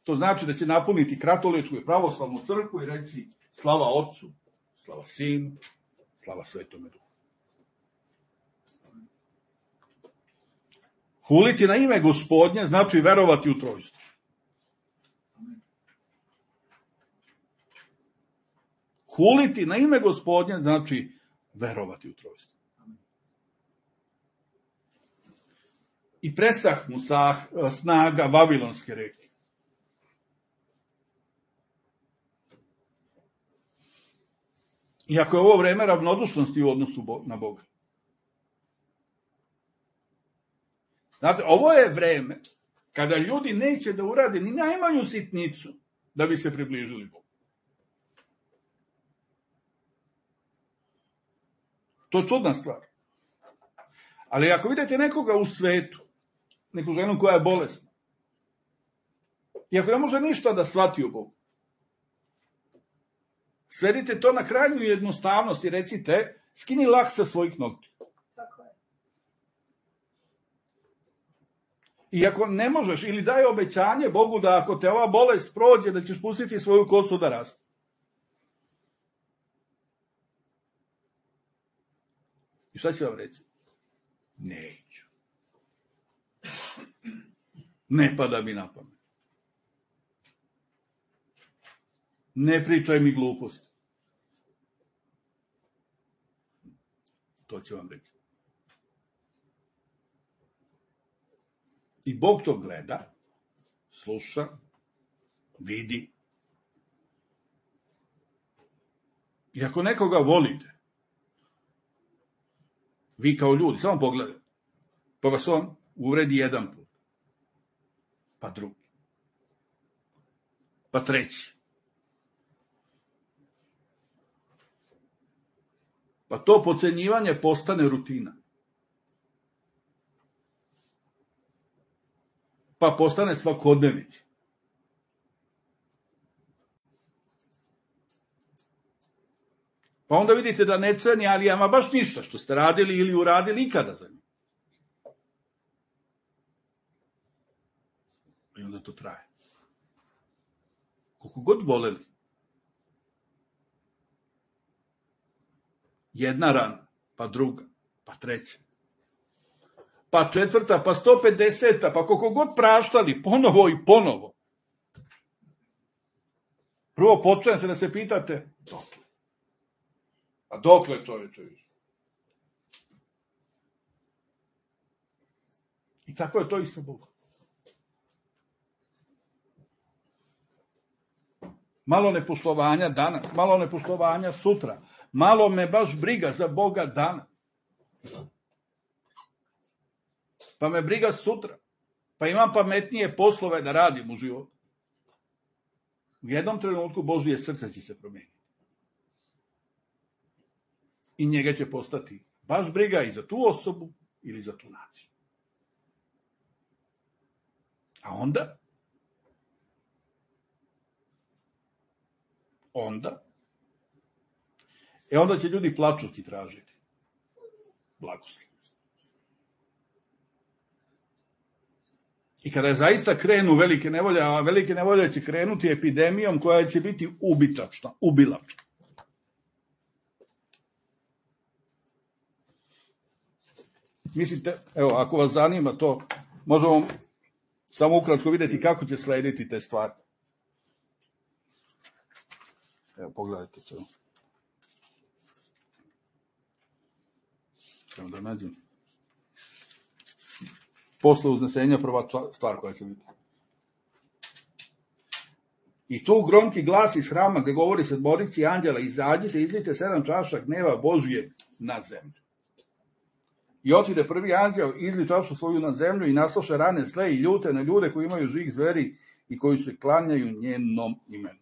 To znači da će napuniti katoličku i pravoslavnu crkvu i reći slava Otcu, slava Sinu, slava Svetome Duhu. Huliti na ime Gospodnje znači verovati u trojstvo. Huliti na ime Gospodnje znači verovati u trojstvo. I presah mu sa snaga Vavilonske reke. Iako je ovo vreme ravnodušnosti u odnosu na Boga. Znate, ovo je vreme kada ljudi neće da urade ni najmanju sitnicu da bi se približili Bogu. To je čudna stvar. Ali ako vidite nekoga u svetu, neku ženu koja je bolesna, i ako ne može ništa da shvati u Bogu, svedite to na krajnju jednostavnost i recite, skini lak sa svojih noktiju. Tako je. I ako ne možeš, ili daj obećanje Bogu da ako te ova bolest prođe, da ćeš pustiti svoju kosu da raste. I šta će vam reći? Neću. Ne pada mi na pamet. Ne pričaj mi gluposti. To će vam reći. I Bog to gleda, sluša, vidi. I ako nekoga volite, vi kao ljudi, samo pogledajte, pa vas on uvredi jedan put, pa drugi, pa treći. Pa to podcenjivanje postane rutina. Pa postane svakodnevica. Pa onda vidite da ne ceni, ali ama baš ništa što ste radili ili uradili ikada za njim. I onda to traje. Koliko god voleli. Jedna rana, pa druga, pa treća, pa četvrta, pa sto pedeseta, pa koliko god praštali, ponovo i ponovo. Prvo počnete da se pitate, dokle? A dokle, čoveče, više? I tako je to i sa Bogom. Malo nepoštovanja danas, malo nepoštovanja sutra. Malo me baš briga za Boga dana. Pa me briga sutra. Pa imam pametnije poslove da radim u životu. U jednom trenutku Božije srce će se promijeniti. I njega će postati baš briga i za tu osobu ili za tu naciju. A onda? Onda? E onda će ljudi plačuti tražiti blagoslov. I kada zaista krenu velike nevolje, a velike nevolje će krenuti epidemijom koja će biti ubitačna, ubilačka. Mislite, evo, ako vas zanima to, možemo samo ukratko vidjeti kako će slediti te stvari. Evo, pogledajte se. Evo da nađem. Posle uznesenja prva stvar koja će biti. I tu gromki glas iz hrama gde govori sedmorici anđela, izađite, izlijte sedam čaša gneva Božije na zemlju. I otide prvi anđel, izli čašu svoju na zemlju i nasloše rane zle i ljute na ljude koji imaju žig zveri i koji se klanjaju njenom imenu.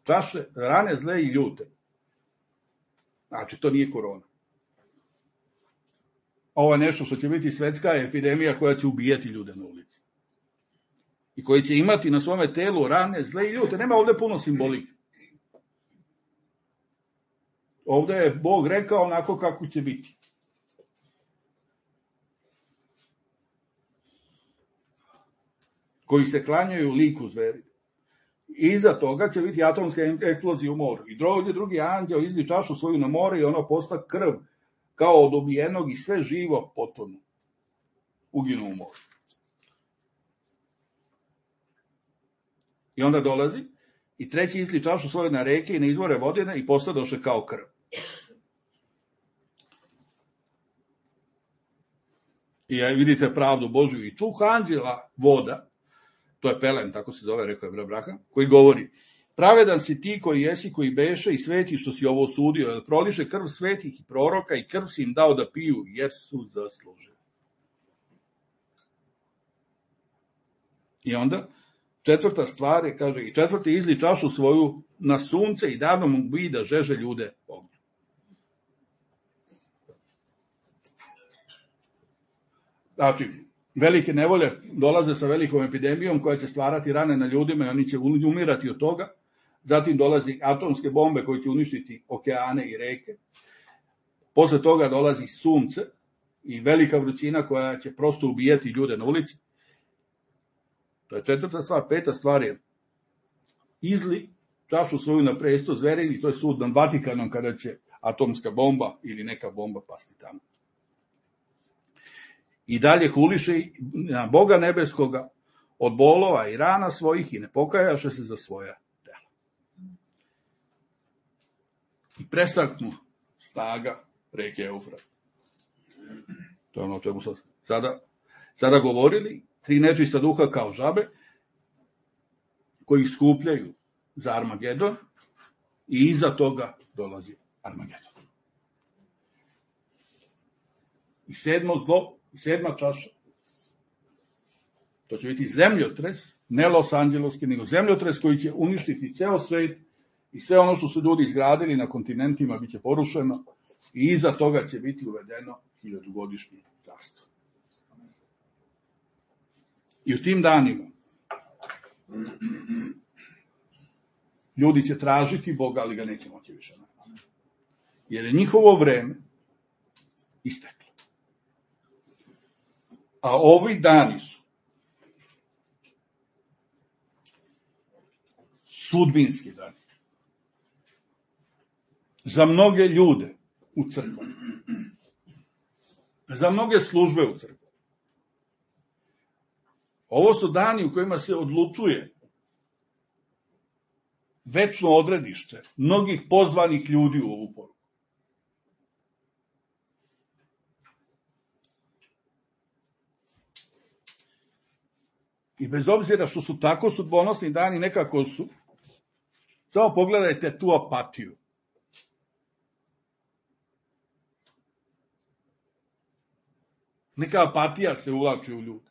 Čaše, rane zle i ljute. Znači, to nije korona. Ovo je nešto što će biti svetska epidemija koja će ubijati ljude na ulici. I koji će imati na svome telu rane zle i ljute. Nema ovde puno simbolike. Ovde je Bog rekao onako kako će biti. Koji se klanjaju liku zveri. Iza toga će biti atomska eksplozija u moru. I drugi, drugi anđeo izli čašu svoju na more i ono posta krv kao od ubijenog i sve živo potonu. Uginu u moru. I onda dolazi i treći izli čašu svoju na reke i na izvore vodene i postadoše kao krv. I vidite pravdu Božju i tu anđela voda, to je Pelen, tako se zove, rekao je Braha, koji govori, pravedan si ti koji jesi, koji beše i sveti što si ovo osudio, jer proliše krv svetih i proroka i krv si im dao da piju, jer su zaslužili. I onda, četvrta stvar je, kaže, i četvrti izli čašu svoju na sunce i davno mu bi da žeže ljude ognju. Znači, velike nevolje dolaze sa velikom epidemijom koja će stvarati rane na ljudima i oni će umirati od toga. Zatim dolazi atomske bombe koje će uništiti okeane i reke. Posle toga dolazi sunce i velika vrućina koja će prosto ubijati ljude na ulici. To je četvrta stvar. Peta stvar je izli čašu svoju na presto zveri i to je sud nad Vatikanom kada će atomska bomba ili neka bomba pasti tamo. I dalje huliše na Boga nebeskoga od bolova i rana svojih i ne pokajaše se za svoja dela. I presaknu snaga reke Eufrat. To je ono o čemu sam sada, sada govorili. Tri nečista duha kao žabe koji skupljaju za Armagedon i iza toga dolazi Armagedon. I sedmo zlo, sedma čaša, to će biti zemljotres, ne Los Angeloski, nego zemljotres koji će uništiti ceo svet i sve ono što su ljudi izgradili na kontinentima biće porušeno i iza toga će biti uvedeno hiljadugodišnje carstvo. I u tim danima ljudi će tražiti Boga, ali ga neće moći više naći. Jer je njihovo vreme isteklo. A ovi dani su sudbinski dani. Za mnoge ljude u crkvama. Za mnoge službe u crkvi. Ovo su dani u kojima se odlučuje večno odredište mnogih pozvanih ljudi u ovu poruku. I bez obzira što su tako sudbonosni dani, nekako su, samo pogledajte tu apatiju. Neka apatija se uvlači u ljude.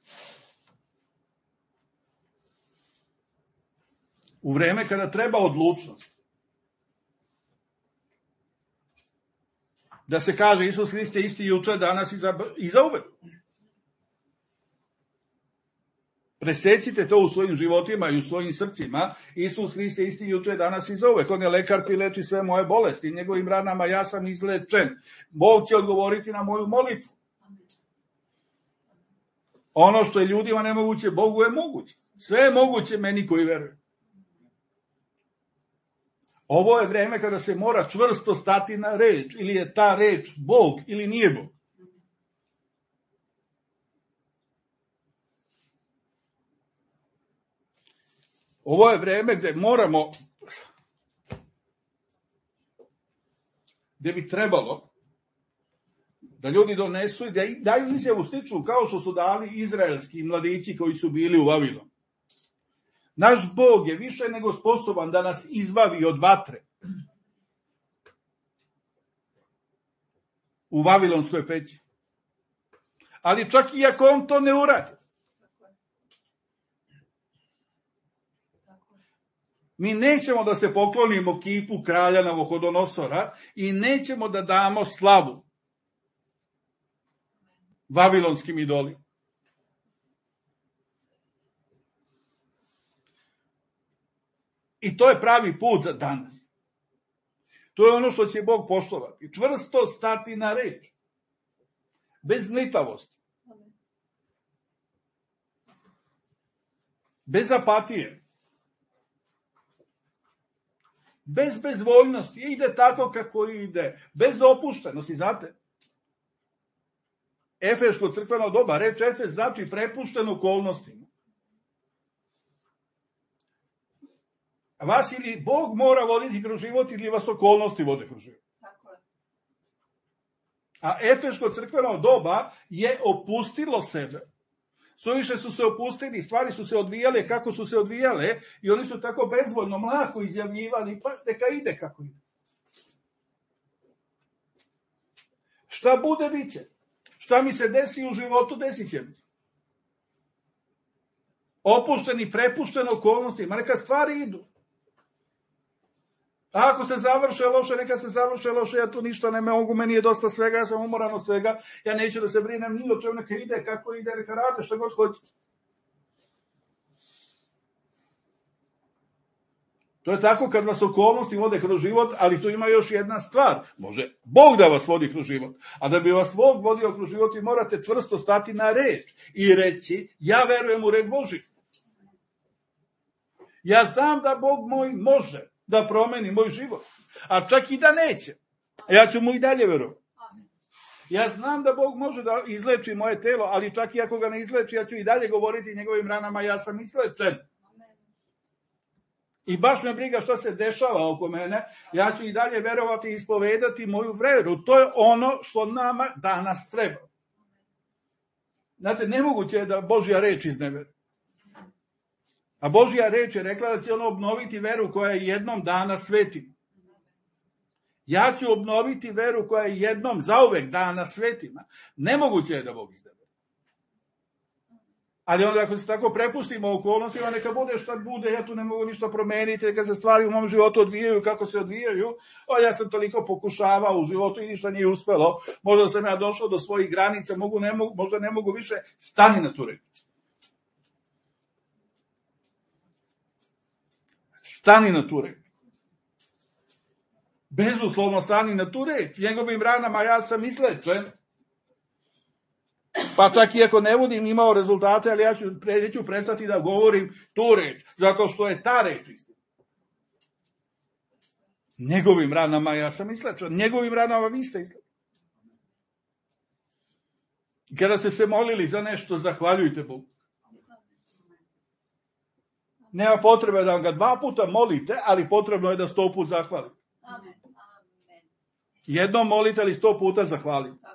U vreme kada treba odlučnost. Da se kaže Isus Hrist je isti juče, danas i za, i za uvek. Presecite to u svojim životima i u svojim srcima. Isus Hrist je isti juče, danas i za uvek. On je lekar koji leči sve moje bolesti. Njegovim ranama ja sam izlečen. Bog će odgovoriti na moju molitvu. Ono što je ljudima nemoguće, Bogu je moguće. Sve je moguće meni koji veruju. Ovo je vreme kada se mora čvrsto stati na reč, ili je ta reč Bog ili nije Bog. Ovo je vreme gde moramo, gde bi trebalo da ljudi donesu i da daju izjavu sličnu kao što su dali izraelski mladići koji su bili u Vavilonu. Naš Bog je više nego sposoban da nas izbavi od vatre u Vavilonskoj peći. Ali čak i ako on to ne uradi, mi nećemo da se poklonimo kipu kralja Navohodonosora i nećemo da damo slavu vavilonskim idolima. I to je pravi put za danas. To je ono što će Bog poštovati. Čvrsto stati na reč. Bez nitavosti. Bez apatije. Bez bezvoljnosti. Ide tako kako ide. Bez opuštenosti. Znate, Efeško crkveno doba, reč Efes znači prepušten okolnostima. Vas ili Bog mora voditi kroz život ili vas okolnosti vode kroz život. A Efeško crkveno doba je opustilo sebe. Suviše su se opustili, stvari su se odvijale kako su se odvijale i oni su tako bezvoljno, mlako izjavljivali, pa neka ide kako ide. Šta bude, bit će. Šta mi se desi u životu, desit će mi. Opušteni, prepušteni okolnostima, neka stvari idu. A ako se završe loše, neka se završe loše, ja tu ništa ne mogu, meni je dosta svega, ja sam umoran od svega, ja neću da se brinem ni o čemu, neka ide, kako ide, neka rade, što god hoće. To je tako kad vas okolnosti vode kroz život, ali tu ima još jedna stvar. Može Bog da vas vodi kroz život, a da bi vas Bog vodio kroz život, vi morate čvrsto stati na reč i reći, ja verujem u reč Božju. Ja znam da Bog moj može da promeni moj život, a čak i da neće. Ja ću mu i dalje verovati. Ja znam da Bog može da izleči moje telo, ali čak i ako ga ne izleči, ja ću i dalje govoriti njegovim ranama, ja sam izlečen. I baš me briga što se dešava oko mene, ja ću i dalje verovati i ispovedati moju veru. To je ono što nama danas treba. Znate, nemoguće je da Božja reč izneveri. A Božja reč je rekla da će ono obnoviti veru koja je jednom dana svetima. Ja ću obnoviti veru koja je jednom zauvek dana svetima. Nemoguće je da Bog izneveri. Ali onda ako se tako prepustimo okolnostima, neka bude šta bude, ja tu ne mogu ništa promeniti, neka se stvari u mom životu odvijaju kako se odvijaju. O, ja sam toliko pokušavao u životu i ništa nije uspelo. Možda sam ja došao do svojih granica, mogu, ne mogu, možda ne mogu više, stani na tu reč. Stani na tu reč. Bezuslovno stani na tu reč. Njegovim ranama ja sam izlečen. Pa čak i ako ne budem imao rezultate, ali ja ću, neću prestati da govorim tu reč, zato što je ta reč istina. Njegovim ranama ja sam izlečen. Njegovim ranama vi ste izlečeni. Kada ste se molili za nešto, zahvaljujte Bogu. Nema potrebe da vam ga dva puta molite, ali potrebno je da sto put zahvalite. Amen. Jednom molite, ali sto puta zahvalite.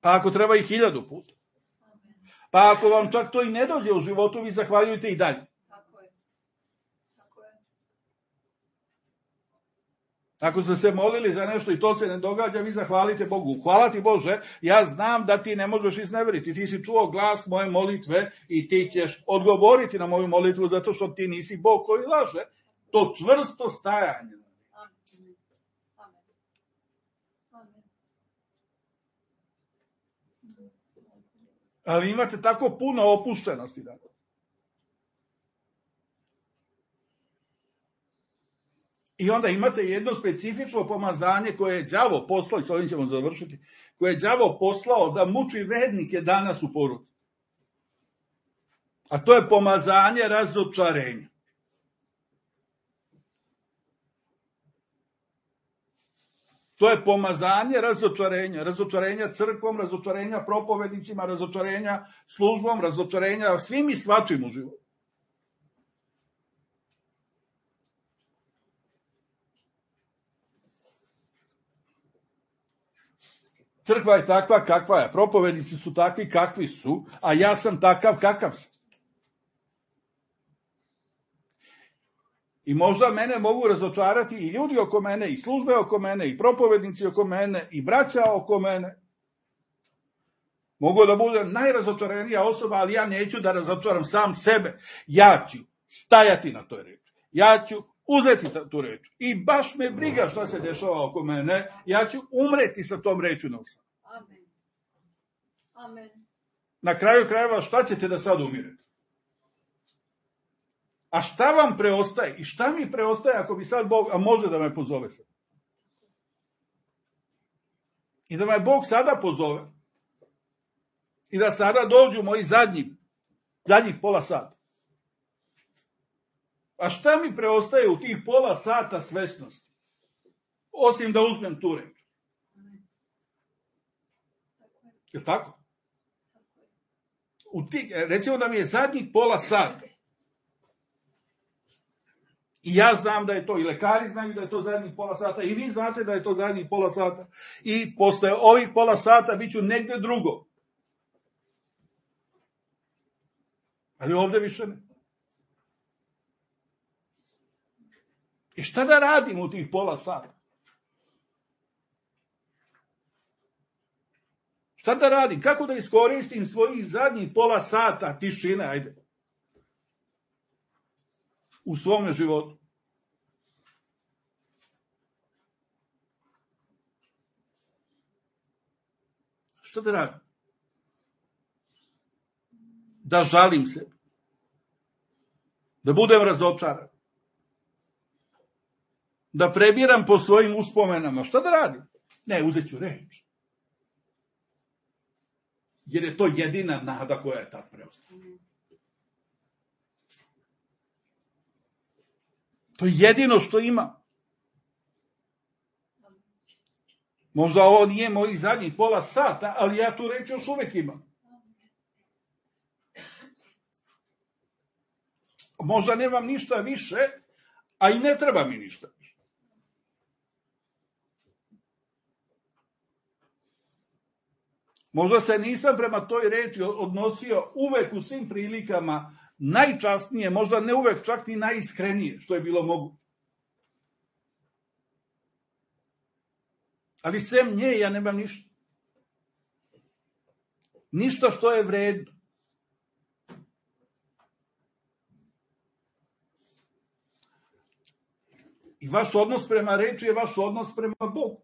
Pa ako treba i hiljadu puta. Pa ako vam čak to i ne dođe u životu, vi zahvaljujte i dalje. Ako ste se molili za nešto i to se ne događa, vi zahvalite Bogu. Hvala ti Bože, ja znam da ti ne možeš izneveriti. Ti si čuo glas moje molitve i ti ćeš odgovoriti na moju molitvu zato što ti nisi Bog koji laže. To čvrsto stajanje. Ali imate tako puno opuštenosti danas. I onda imate jedno specifično pomazanje koje je đavo poslao, i s ovim ćemo završiti, koje je đavo poslao da muči vernike danas u poruci. A to je pomazanje razočarenja. To je pomazanje razočarenja. Razočarenja crkvom, razočarenja propovednicima, razočarenja službom, razočarenja svim i svačim u životu. Crkva je takva kakva je, propovednici su takvi kakvi su, a ja sam takav kakav sam. I možda mene mogu razočarati i ljudi oko mene, i službe oko mene, i propovednici oko mene, i braća oko mene. Mogu da budem najrazočarenija osoba, ali ja neću da razočaram sam sebe. Ja ću stajati na toj reči. Ja ću uzeti tu reč. I baš me briga šta se dešava oko mene, ja ću umreti sa tom reču na usam. Amen. Amen. Na kraju krajeva šta ćete da sad umirete? A šta vam preostaje? I šta mi preostaje ako bi sad Bog, a može da me pozove sad? I da me Bog sada pozove. I da sada dođu moji zadnji, zadnjih pola sata. A šta mi preostaje u tih pola sata svesnosti? Osim da uzmem tu reč. Je tako? U tih, recimo da mi je zadnjih pola sata. I ja znam da je to, i lekari znaju da je to zadnjih pola sata, i vi znate da je to zadnjih pola sata. I posle ovih pola sata bit ću negde drugo. Ali ovde više ne. I šta da radim u tih pola sata? Šta da radim? Kako da iskoristim svojih zadnjih pola sata tišine, ajde, u svome životu? Šta da radim? Da žalim se. Da budem razočaran. Da prebiram po svojim uspomenama. Šta da radim? Ne, uzet ću reč. Jer je to jedina nada koja je tad preostala. To je jedino što ima. Možda ovo nije mojih zadnjih pola sata, ali ja tu reč još uvek imam. Možda nemam ništa više, a i ne treba mi ništa više. Možda se nisam prema toj reči odnosio uvek u svim prilikama najčasnije, možda ne uvek čak ni najiskrenije, što je bilo moguće. Ali sem nje ja nemam ništa. Ništa što je vredno. I vaš odnos prema reči je vaš odnos prema Bogu.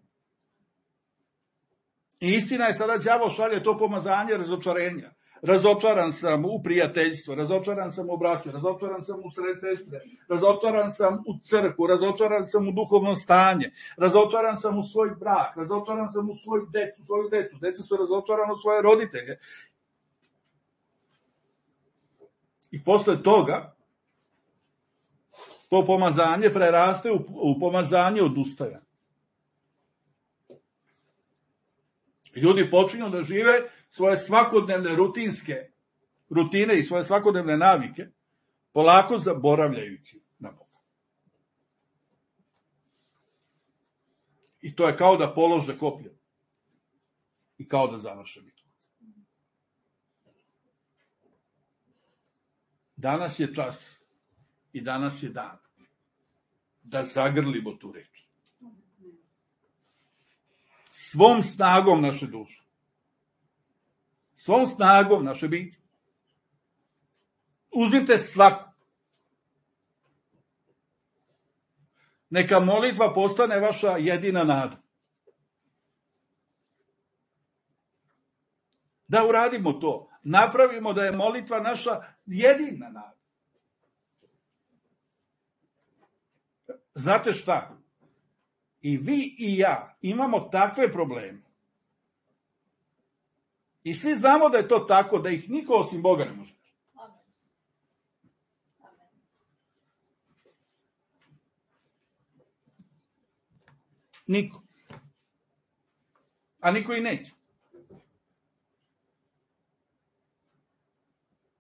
I istina je, sada đavo šalje to pomazanje razočarenja. Razočaran sam u prijateljstvo, razočaran sam u braću, razočaran sam u sred sestre, razočaran sam u crkvu, razočaran sam u duhovno stanje, razočaran sam u svoj brak, razočaran sam u svoju decu, svoju decu, deca su razočarana u svoje roditelje. I posle toga to pomazanje preraste u, u pomazanje odustajanja. Ljudi počinju da žive svoje svakodnevne rutinske rutine i svoje svakodnevne navike, polako zaboravljajući na Boga. I to je kao da polože koplje i kao da završe bitku. Danas je čas i danas je dan da zagrlimo tu reč. Svom snagom naše duše. Svom snagom naše biti. Uzmite svaku. Neka molitva postane vaša jedina nada. Da uradimo to. Napravimo da je molitva naša jedina nada. Znate šta? I vi i ja imamo takve probleme. I svi znamo da je to tako, da ih niko osim Boga ne može. Niko. a niko i neće.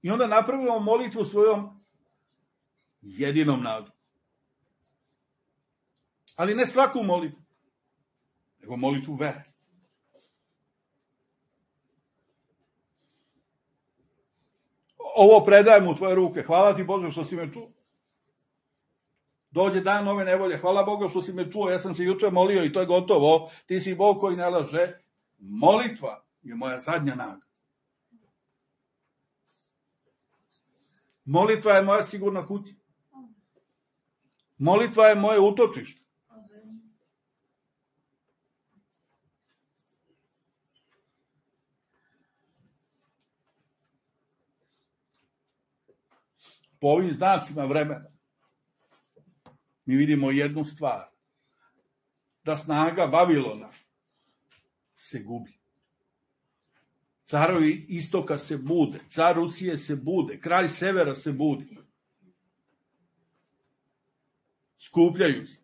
I onda napravimo molitvu svojom jedinom nadom. Ali ne svaku molitvu, nego molitvu vere. Ovo predajem u tvoje ruke. Hvala ti Bože što si me čuo. Dođe dan nove nevolje. Hvala Bogu što si me čuo. Ja sam se juče molio i to je gotovo. Ti si Bog koji ne laže. Molitva je moja zadnja nada. Molitva je moja sigurna kuća. Molitva je moje utočište. Po ovim znacima vremena mi vidimo jednu stvar. Da snaga Vavilona se gubi. Carovi istoka se bude, car Rusije se bude, kralj severa se budi. Skupljaju se.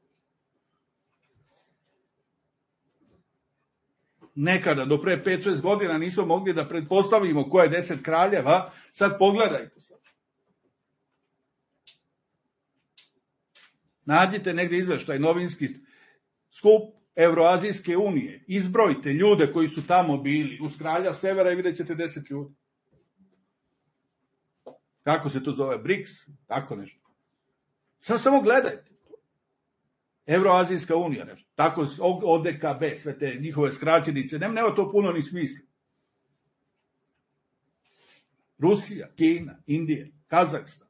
Nekada, do pre pet šest godina, nismo mogli da pretpostavimo ko je deset kraljeva, sad pogledajte se. Nađite negdje izveštaj novinski skup Evroazijske unije, izbrojite ljude koji su tamo bili, uz kralja severa i vidjet ćete deset ljudi. Kako se to zove? BRICS? Tako nešto. Sad samo gledajte. Evroazijska unija, nešto. Tako, O D K B, sve te njihove skraćenice, nema, nema to puno ni smisla. Rusija, Kina, Indija, Kazahstan,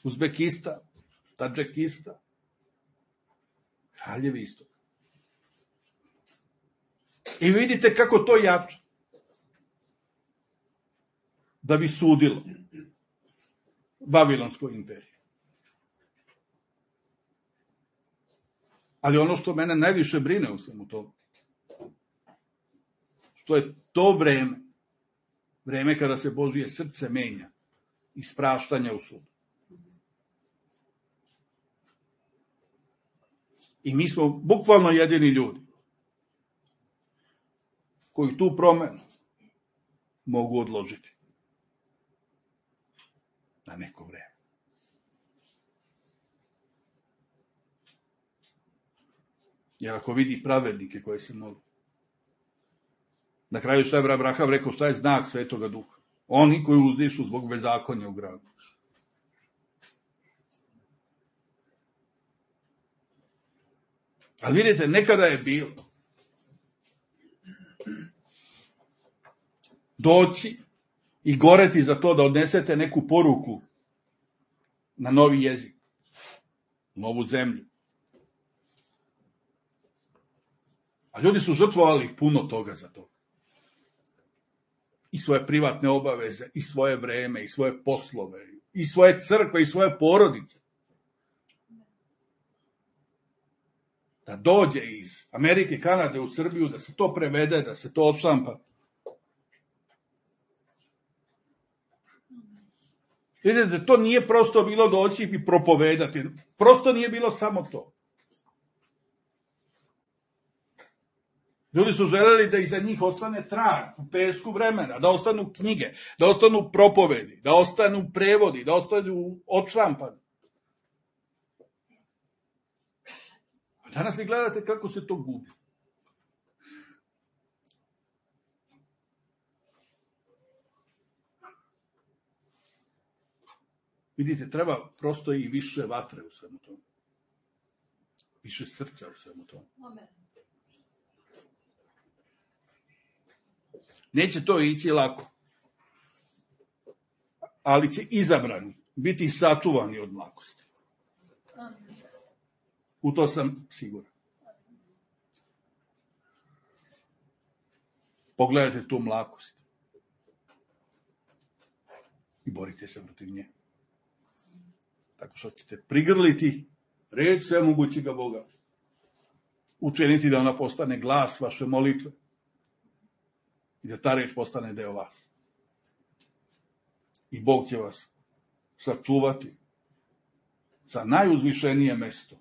Uzbekistan, Tadžikistan, kraljevi istoka. I vidite kako to jača. Da bi sudilo Vavilonskoj imperiji. Ali ono što mene najviše brine u svemu tome, što je to vreme, vreme kada se Božije srce menja iz praštanja u sudu. I mi smo bukvalno jedini ljudi koji tu promenu mogu odložiti na neko vreme. Jer ako vidi pravednike koji se moli, na kraju šta je Abraham rekao, šta je znak Svetoga Duha? Oni koji uzdišu zbog bezakonja u gradu. Ali vidite, nekada je bilo doći i goreti za to da odnesete neku poruku na novi jezik, novu zemlju. A ljudi su žrtvovali puno toga za to. I svoje privatne obaveze, i svoje vreme, i svoje poslove, i svoje crkve, i svoje porodice. Da dođe iz Amerike, Kanade u Srbiju, da se to prevede, da se to odštampa. Vidite, to nije prosto bilo doći i propovedati. Prosto nije bilo samo to. Ljudi su želeli da iza njih ostane trag u pesku vremena, da ostanu knjige, da ostanu propovedi, da ostanu prevodi, da ostanu odštampani. A danas vi gledate kako se to gubi. Vidite, treba prosto i više vatre u svemu tomu. Više srca u svemu tomu. Amen. Neće to ići lako. Ali će izabrani biti sačuvani od mlakosti. U to sam siguran. Pogledajte tu mlakost. I borite se protiv nje. Tako što ćete prigrliti reč svemogućega Boga. Učiniti da ona postane glas vaše molitve. I da ta reč postane deo vas. I Bog će vas sačuvati za najuzvišenije mesto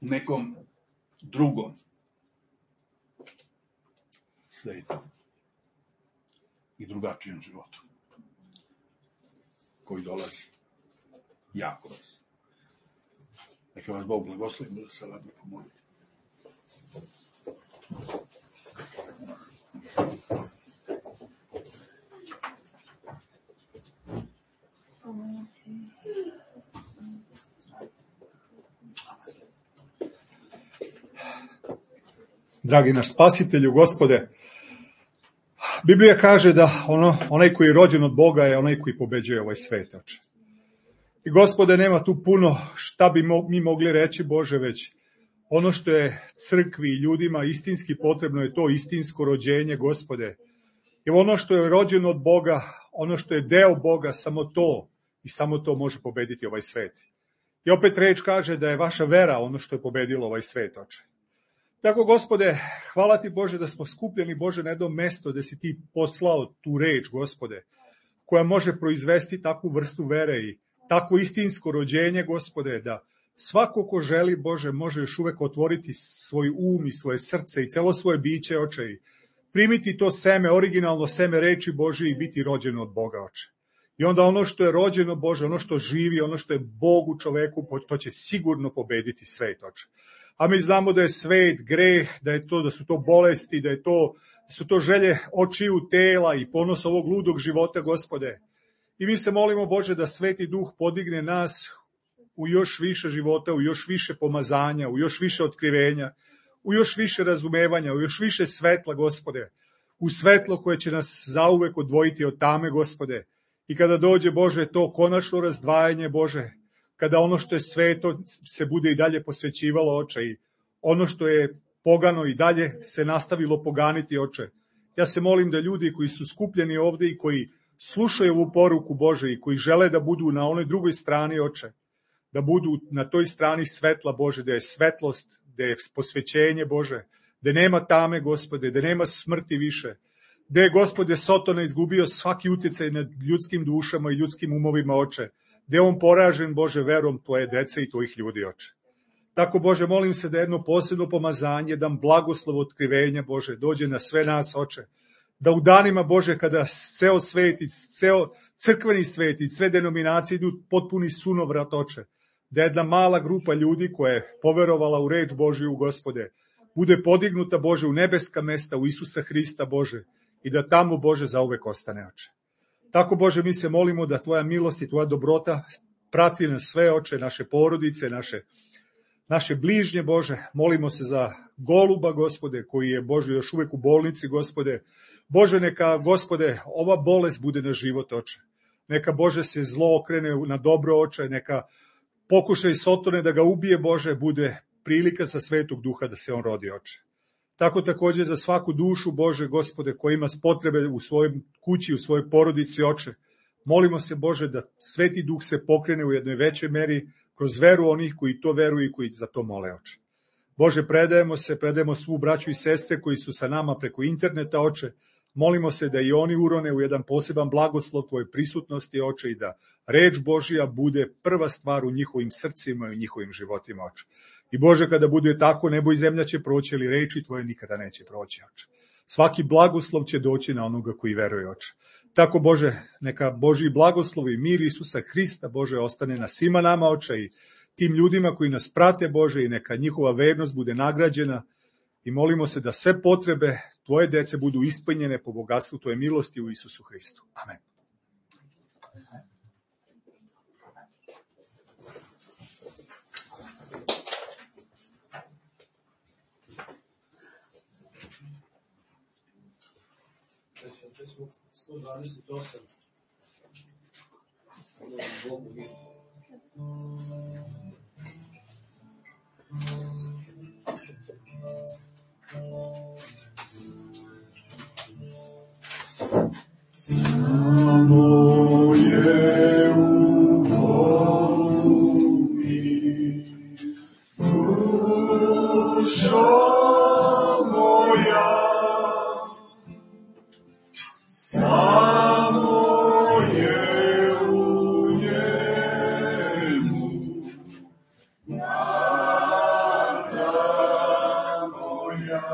u nekom drugom svetom i drugačijem životu koji dolazi jako vas. Neka vas Bog blagoslovi, da se radno pomoliti. Dragi naš spasitelju, Gospode, Biblija kaže da ono, onaj koji je rođen od Boga je onaj koji pobeđuje ovaj svet, Oče. I Gospode, nema tu puno šta bi mi mogli reći, Bože, već ono što je crkvi i ljudima istinski potrebno je to istinsko rođenje, Gospode. I ono što je rođeno od Boga, ono što je deo Boga, samo to i samo to može pobediti ovaj svet. I opet reč kaže da je vaša vera ono što je pobedilo ovaj svet, Oče. Tako, Gospode, hvala ti, Bože, da smo skupljeni, Bože, na jedno mesto gde si ti poslao tu reč, Gospode, koja može proizvesti takvu vrstu vere i takvo istinsko rođenje, Gospode, da svako ko želi, Bože, može još uvek otvoriti svoj um i svoje srce i celo svoje biće, Oče, i primiti to seme, originalno seme reči Božje i biti rođeno od Boga, Oče. I onda ono što je rođeno, Bože, ono što živi, ono što je Bog u čoveku, to će sigurno pobediti svet, Oče. A mi znamo da je svet greh, da je to, da su to bolesti, da je to, da su to želje očiju tela i ponos ovog ludog života, Gospode. I mi se molimo, Bože, da Sveti Duh podigne nas u još više života, u još više pomazanja, u još više otkrivenja, u još više razumevanja, u još više svetla, Gospode. U svetlo koje će nas zauvek odvojiti od tame, Gospode. I kada dođe, Bože, to konačno razdvajanje, Bože, kada ono što je sveto se bude i dalje posvećivalo, Oče, i ono što je pogano i dalje se nastavilo poganiti, Oče. Ja se molim da ljudi koji su skupljeni ovde i koji slušaju ovu poruku, Bože, i koji žele da budu na onoj drugoj strani, Oče, da budu na toj strani svetla, Bože, da je svetlost, da je posvećenje, Bože, da nema tame, Gospode, da nema smrti više, da je, Gospode, Sotona izgubio svaki utjecaj nad ljudskim dušama i ljudskim umovima, Oče, da je on poražen, Bože, verom tvoje dece i tvojih ljudi, Oče. Tako, Bože, molim se da jedno posebno pomazanje, da blagoslov otkrivenja, Bože, dođe na sve nas, Oče, da u danima, Bože, kada ceo svet i ceo crkveni svet i sve denominacije idu potpuni sunovrat, Oče, da jedna mala grupa ljudi koja je poverovala u reč Božiju, Gospode, bude podignuta, Bože, u nebeska mesta, u Isusa Hrista, Bože, i da tamo, Bože, zauvek ostane, Oče. Tako, Bože, mi se molimo da tvoja milost i tvoja dobrota prati nas sve, Oče, naše porodice, naše, naše bližnje, Bože. Molimo se za Goluba, Gospode, koji je, Bože, još uvek u bolnici, Gospode. Bože, neka, Gospode, ova bolest bude na život, Oče. Neka, Bože, se zlo okrene na dobro, Oče. Neka pokušaj Sotone da ga ubije, Bože, bude prilika sa Svetog Duha da se on rodi, Oče. Tako takođe za svaku dušu, Bože, Gospode, koja ima potrebe u svojoj kući, u svojoj porodici, Oče. Molimo se, Bože, da Sveti Duh se pokrene u jednoj većoj meri kroz veru onih koji to veruju i koji za to mole, Oče. Bože, predajemo se, predajemo svu braću i sestre koji su sa nama preko interneta, Oče. Molimo se da i oni urone u jedan poseban blagoslov tvoje prisutnosti, Oče, i da reč Božija bude prva stvar u njihovim srcima i u njihovim životima, Oče. I, Bože, kada bude tako, nebo i zemlja će proći, ali reči tvoje nikada neće proći, Oče. Svaki blagoslov će doći na onoga koji veruje, Oče. Tako, Bože, neka Božji blagoslov i mir Isusa Hrista, Bože, ostane na svima nama, Oče, i tim ljudima koji nas prate, Bože, i neka njihova vernost bude nagrađena. I molimo se da sve potrebe tvoje dece budu ispunjene po bogatstvu tvoje milosti u Isusu Hristu. Amen. sto dvadeset osam. Stavljamo Bogu mir. Samo je u Bogu mir, dušo moja. Samo je u njemu nada moja.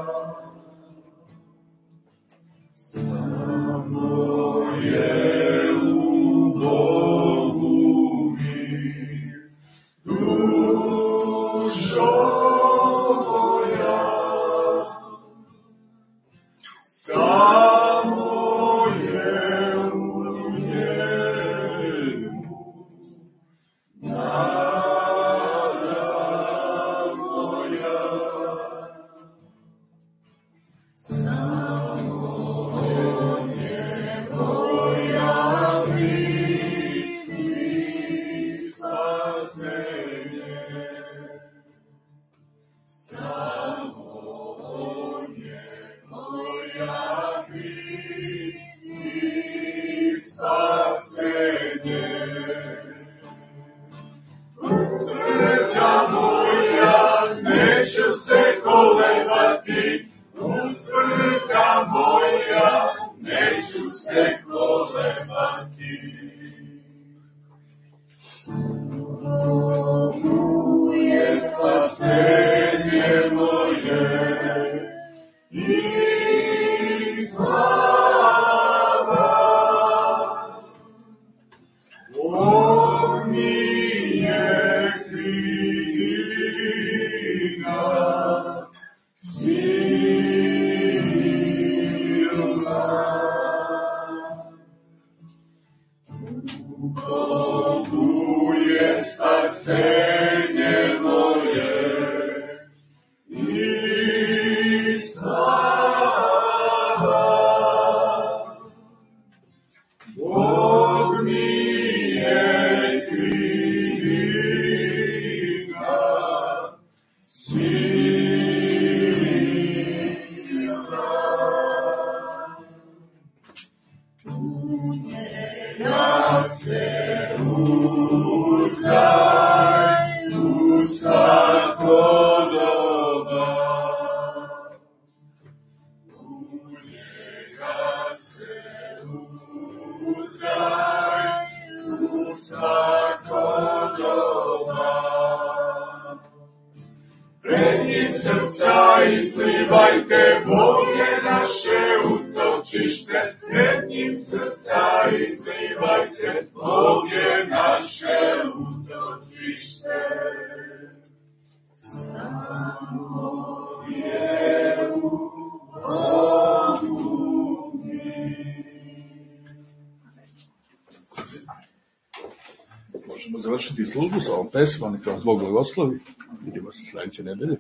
Možemo završiti službu sa ovom pesmom, neka vas Bog blagoslovi. Vidimo se sledeće nedelje.